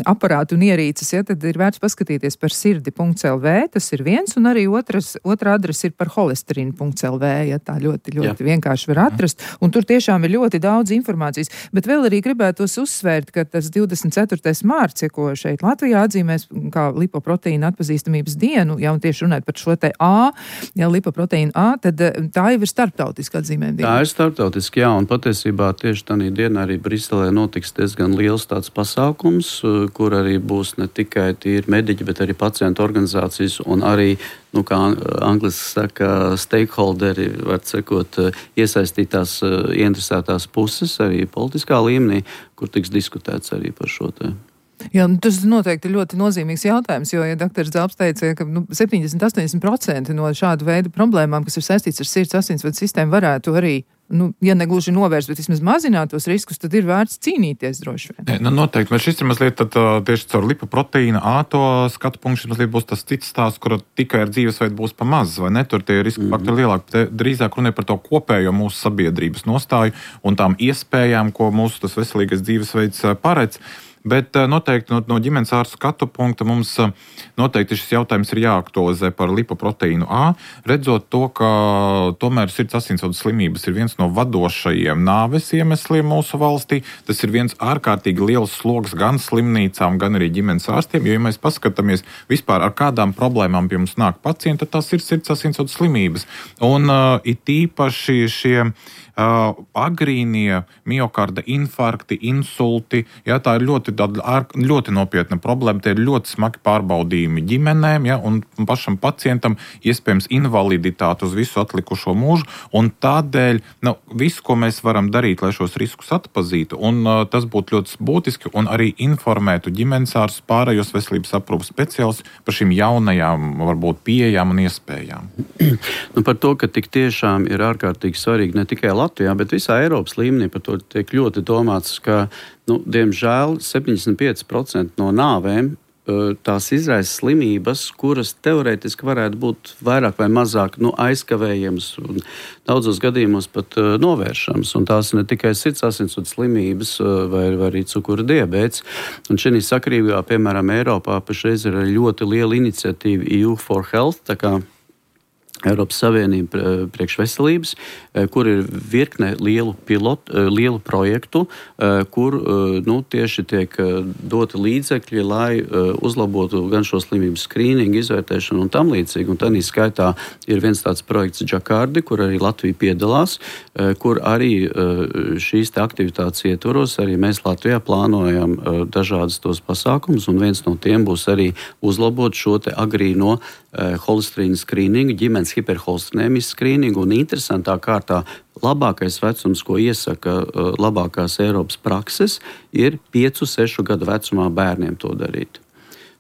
aparāti un ierīces, tad ir vērts paskatīties par sirdi.lv, tas ir viens, un arī otra adrese ir par holesterīnu.lv, tā ļoti vienkārši var atrast, un tur tiešām ir ļoti daudz informācijas, bet vēl arī gribētos uzsvērt, ka tas 24. mārts, ko šeit Latvijā atzīmēs kā lipoproteīna atpazīstamības dienu, un tieši runāt par šo te A, lipoproteīnu A, tad tā jau ir starptautiska atzīmējuma diena. Tā ir starptautiski, jā, un patiesībā tieši tādā dienā arī Briselē notiks diezgan liels tāds pasākums, kur arī būs ne tikai tīri mediķi, bet arī pacientu organizācijas un arī, kā angliski saka, stakeholderi, var sekot, iesaistītās, ieinteresētās puses arī politiskā līmenī, kur tiks diskutēts arī par šo te. Jā, tas noteikti ir ļoti nozīmīgs jautājums, jo, ja doktors Zelps teica, ka 70-80% no šādu veidu problēmām, kas ir saistīts ar sirds asinsvadu sistēmu, varētu arī, ja negluži novērst, bet vismaz mazināt tos riskus, tad ir vērts cīnīties droši vien. Noteikti, bet šis ir mazliet tieši caur lipoproteīna A to skatu punktu, šis mazliet būs tas cits stāsts, kur tikai ar dzīvesveidu būs pa maz, vai ne? Tur tie riska faktori lielāki. Drīzāk runē par to kopējo mūsu sabiedrības nostāju un tām iespējām, ko mūsu tas veselīgais dzīvesveids paredz. Bet noteikti no ģimenes ārsta skatu punkta mums noteikti šis jautājums ir jāaktualizē par lipoproteīnu A, redzot to, ka tomēr sirds asinsvadu slimības ir viens no vadošajiem nāves iemesliem mūsu valstī. Tas ir viens ārkārtīgi liels sloks gan slimnīcām, gan arī ģimenes ārstiem, jo, ja mēs paskatāmies vispār ar kādām problēmām pie mums nāk pacienti, tad tas ir sirds asinsvadu slimības. Un it īpaši šie agrīnie miokarda infarkti, insulti, tā ir ļoti nopietna problēma, tie ir ļoti smagi pārbaudījumi ģimenēm, un pašam pacientam iespējams invaliditāte uz visu atlikušo mūžu, un tādēļ visu, ko mēs varam darīt, lai šos riskus atpazītu, un tas būtu ļoti būtiski, un arī informētu ģimenes ārstus, pārējos veselības aprūpes speciālistus par šīm jaunajām, varbūt pieejām un iespējām. Par to, ka tik tiešām ir ārkārtīgi svarīgi ne tikai Latvijā, bet visā Eiropas līmenī par to tiek ļoti domāts, ka, diemžēl, 75% no nāvēm tās izraisa slimības, kuras teorētiski varētu būt vairāk vai mazāk aizkavējamas un daudzos gadījumos pat novēršamas. Un tās ne tikai sirds asinsvadu slimības vai arī cukura diabēts. Un šī sakarībā, piemēram, Eiropā pašreiz ir ļoti liela iniciatīva EU for Health, tā kā Eiropas Savienība priekšveselības, kur ir virkne lielu projektu, kur tieši tiek doti līdzekļi, lai uzlabotu gan šo slimību skrīningu, izvērtēšanu un tam līdzīgi. Un tādā skaitā ir viens tāds projekts Džakardi, kur arī Latvija piedalās, kur arī šīs aktivitātes ietvaros arī mēs Latvijā plānojam dažādas tos pasākumus, un viens no tiem būs arī uzlabot šo te agrīno holesterīnu skrīningu, ģimenes hiperholesterēmijas skrīningu, un interesantā kārtā labākais vecums, ko iesaka labākās Eiropas prakses, ir 5-6 gadu vecumā bērniem to darīt.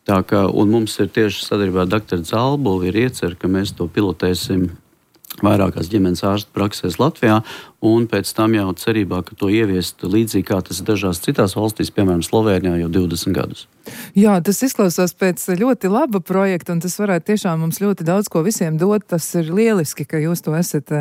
Tā kā, un mums ir tieši sadarbībā ar Dr. Zalbuli ir iecer, ka mēs to pilotēsim vairākās ģimenes ārstu praksēs Latvijā, un pēc tam jau cerībā, ka to ieviest līdzīgi kā tas dažās citās valstīs, piemēram, Slovēnijā jau 20 gadus. Jā, tas izklausās pēc ļoti laba projekta, un tas varētu tiešām mums ļoti daudz ko visiem dot. Tas ir lieliski, ka jūs to esat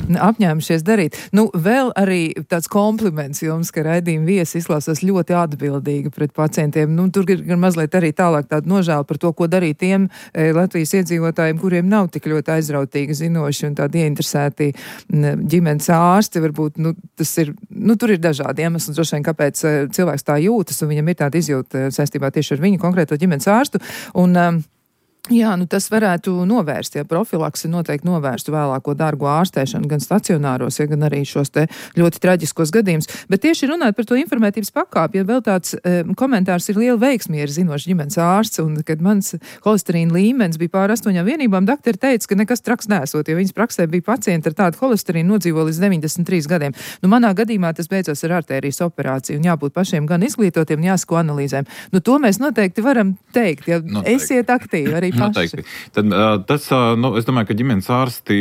apņēmušies darīt. Vēl arī tāds kompliments jums, ka raidījuma viesi izklausās ļoti atbildīgi pret pacientiem. Tur ir gan mazliet arī tālāk tāda nožēla par to, ko darīt tiem Latvijas iedzīvotājiem, kuriem nav tik ļoti aizrautīgi zinoši un tādi ieinteresēti ģimenes ārsti. Varbūt, tas ir, tur ir dažādi iemesli, droši vien, kāpēc cilvēks tā jūtas, un viņam ir tāda izjūta saistībā tieši ar viņu konkrēto ģimenes ārstu. Un, jā, tas varētu novērst, ja profilaksi noteikti novērstu vēlāko dārgo ārstēšanu gan stacionāros, ja gan arī šos te ļoti traģiskos gadījumus. Bet tieši runāt par to informētības pakāpi, ja vēl tāds komentārs ir liela veiksmi, ja ir zinošs ģimenes ārsts, un kad mans holesterīna līmenis bija pār 8 vienībām, doktori teica, ka nekas traks nesot, jo viņas praksē bija pacienti ar tādu holesterīnu nodzīvo līdz 93 gadiem. Manā gadījumā tas beidzās ar artērijas operāciju, un jābūt pašiem gan izglītotiem, jāsako analīzēm. To mēs noteikti varam teikt, ja esiet aktīvi arī. Noteikti. Tad, es domāju, ka ģimenes ārsti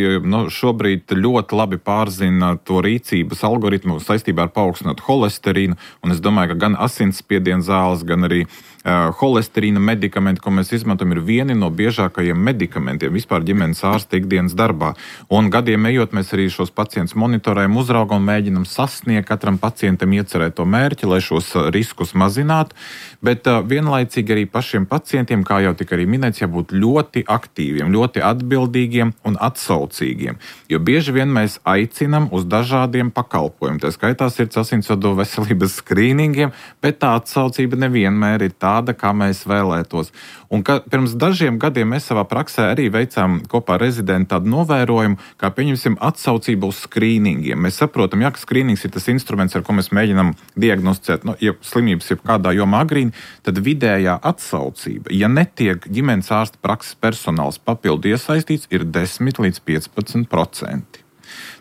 šobrīd ļoti labi pārzina to rīcības algoritmu saistībā ar paaugstinātu holesterīnu, un es domāju, ka gan asinsspiediena zāles, gan arī holesterīna medikamenti, ko mēs izmantojam, ir vieni no biežākajiem medikamentiem vispār ģimenes ārsta ikdienas darbā. Un gadiem ejot, mēs arī šos pacientus monitorējam, uzraugam un mēģinam sasniegt katram pacientam iecerēto mērķi, lai šos riskus mazinātu. Bet vienlaicīgi arī pašiem pacientiem, kā jau tika arī minēts, jābūt ļoti aktīviem, ļoti atbildīgiem un atsaucīgiem. Jo bieži vien mēs aicinam uz dažādiem pakalpojumiem. Tā skaitā sirds asinsvadu veselības skrīningiem, bet tā atsaucība nevienmēr ir tāda, kā mēs vēlētos. Un pirms dažiem gadiem mēs savā praksē arī veicām kopā ar rezidentu tādu novērojumu, kā pieņemsim atsaucību uz skrīningiem. Mēs saprotam, ka skrīnings ir tas instruments, ar ko mēs mēģinām diagnosticēt, ja slimības ir kādā jomā agrīni, tad vidējā atsaucība, ja netiek ģimenes ārsta prakses personāls papildu iesaistīts, ir 10 līdz 15%.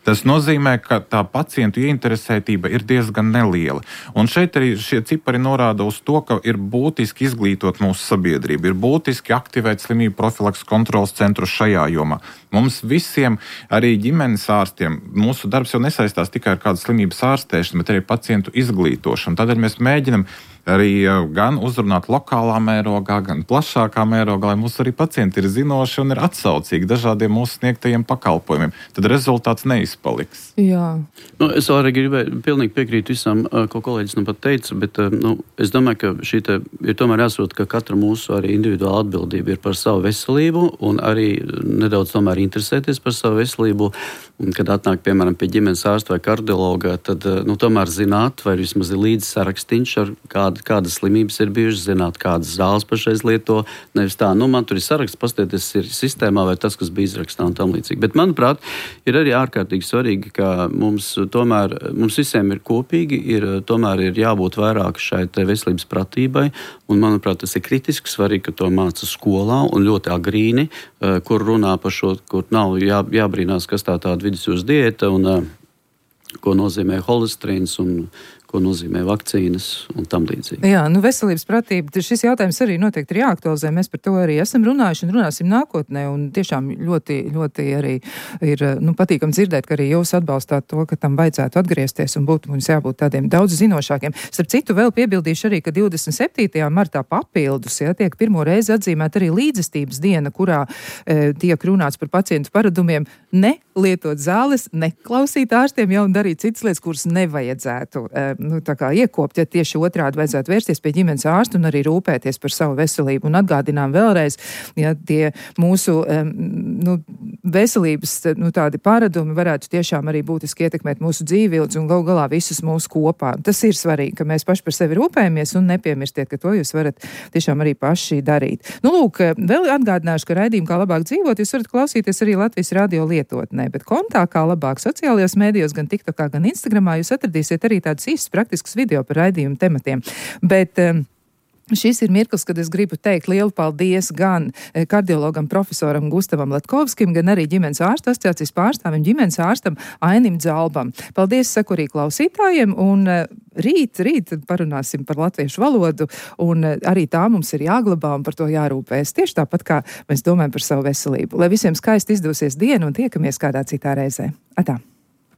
Tas nozīmē, ka tā pacientu ieinteresētība ir diezgan neliela. Un šeit arī šie cipari norāda uz to, ka ir būtiski izglītot mūsu sabiedrību, ir būtiski aktivēt slimību profilakses kontrolas centru šajā jomā. Mums visiem, arī ģimenes ārstiem, mūsu darbs jau nesaistās tikai ar kādu slimības ārstēšanu, bet arī pacientu izglītošanu. Tādēļ mēs mēģinam arī gan uzrunāt lokālā mērogā, gan plašākā mērogā, lai mūsu arī pacienti ir zinoši un ir atsaucīgi dažādiem mūsu sniegtajiem pakalpojumiem. Tad rezultāts neizpaliks. Jā. Es arī gribēju pilnīgi piekrīt visam, ko kolēģis pat teica, bet es domāju, ka šī ir tomēr jāsaprot, ka katra mūsu arī individuāla atbildība ir par savu veselību un arī nedaudz tomēr interesēties par savu veselību. Un, kad atnāk, piemēram, pie ģimenes ārsta vai kardiologa, tad tomēr zināt, vai vismaz ir līdzi sarakstīns ar kādas slimības ir bijušas, zināt, kādas zāles pašreiz lieto. Nevis tā, man tur ir saraksts, pastieties ir sistēmā vai tas, kas bija izrakstā un tam līdzīgi. Bet, manuprāt, ir arī ārkārtīgi svarīgi, ka mums visiem ir kopīgi, tomēr ir jābūt vairāk šai veselības pratībai. Un, manuprāt, tas ir kritiski svarīgi, ka to māca skolā un ļoti agrīni, kur runā par šo, kur nav jābrīnās, kas tāda vidusjūras diēta un ko nozīmē holesterīns un ko nozīmē vakcīnas un tam līdzīgi. Jā, veselības pratība, šis jautājums arī noteikti ir jāaktualizē. Mēs par to arī esam runājuši un runāsim nākotnē. Un tiešām ļoti arī ir patīkam dzirdēt, ka arī jūs atbalstāt to, ka tam vajadzētu atgriezties un mums jābūt tādiem daudz zinošākiem. Starp citu, vēl piebildīšu arī, ka 27. martā papildus, tiek pirmo reizi atzīmēta arī līdzestības diena, kurā tiek runāts par pacientu paradumiem ne lietot zāles, neklausīt ārstiem jau un darīt citas lietas, kuras nevajadzētu iekopt, ja tieši otrādi vajadzētu vērsties pie ģimenes ārsta un arī rūpēties par savu veselību. Un atgādinām vēlreiz, ja tie mūsu veselības tādi paradumi varētu tiešām arī būtiski ietekmēt mūsu dzīvildzi un galu galā visus mūsu kopā. Tas ir svarīgi, ka mēs paši par sevi rūpējamies un nepiemirstiet, ka to jūs varat tiešām arī paši darīt. Lūk, vēl atgādināšu, ka raidījumu Kā labāk dzīvot jūs varat klausīties arī Latvijas radio lietotnē, bet kontā Kā labāk sociālajos mēdījos, gan TikTokā, gan Instagramā jūs atradīsiet arī tādus īstus praktiskus video par raidījumu tematiem. Bet šis ir mirklis, kad es gribu teikt lielu paldies gan kardiologam profesoram Gustavam Latkovskim, gan arī ģimenes ārstu asociācijas pārstāvim ģimenes ārstam Ainim Dzalbam. Paldies, saku arī klausītājiem, un rīt parunāsim par latviešu valodu, un arī tā mums ir jāglabā un par to jārūpēs. Tieši tāpat, kā mēs domājam par savu veselību. Lai visiem skaisti izdosies diena un tiekamies kādā citā reizē. Atā!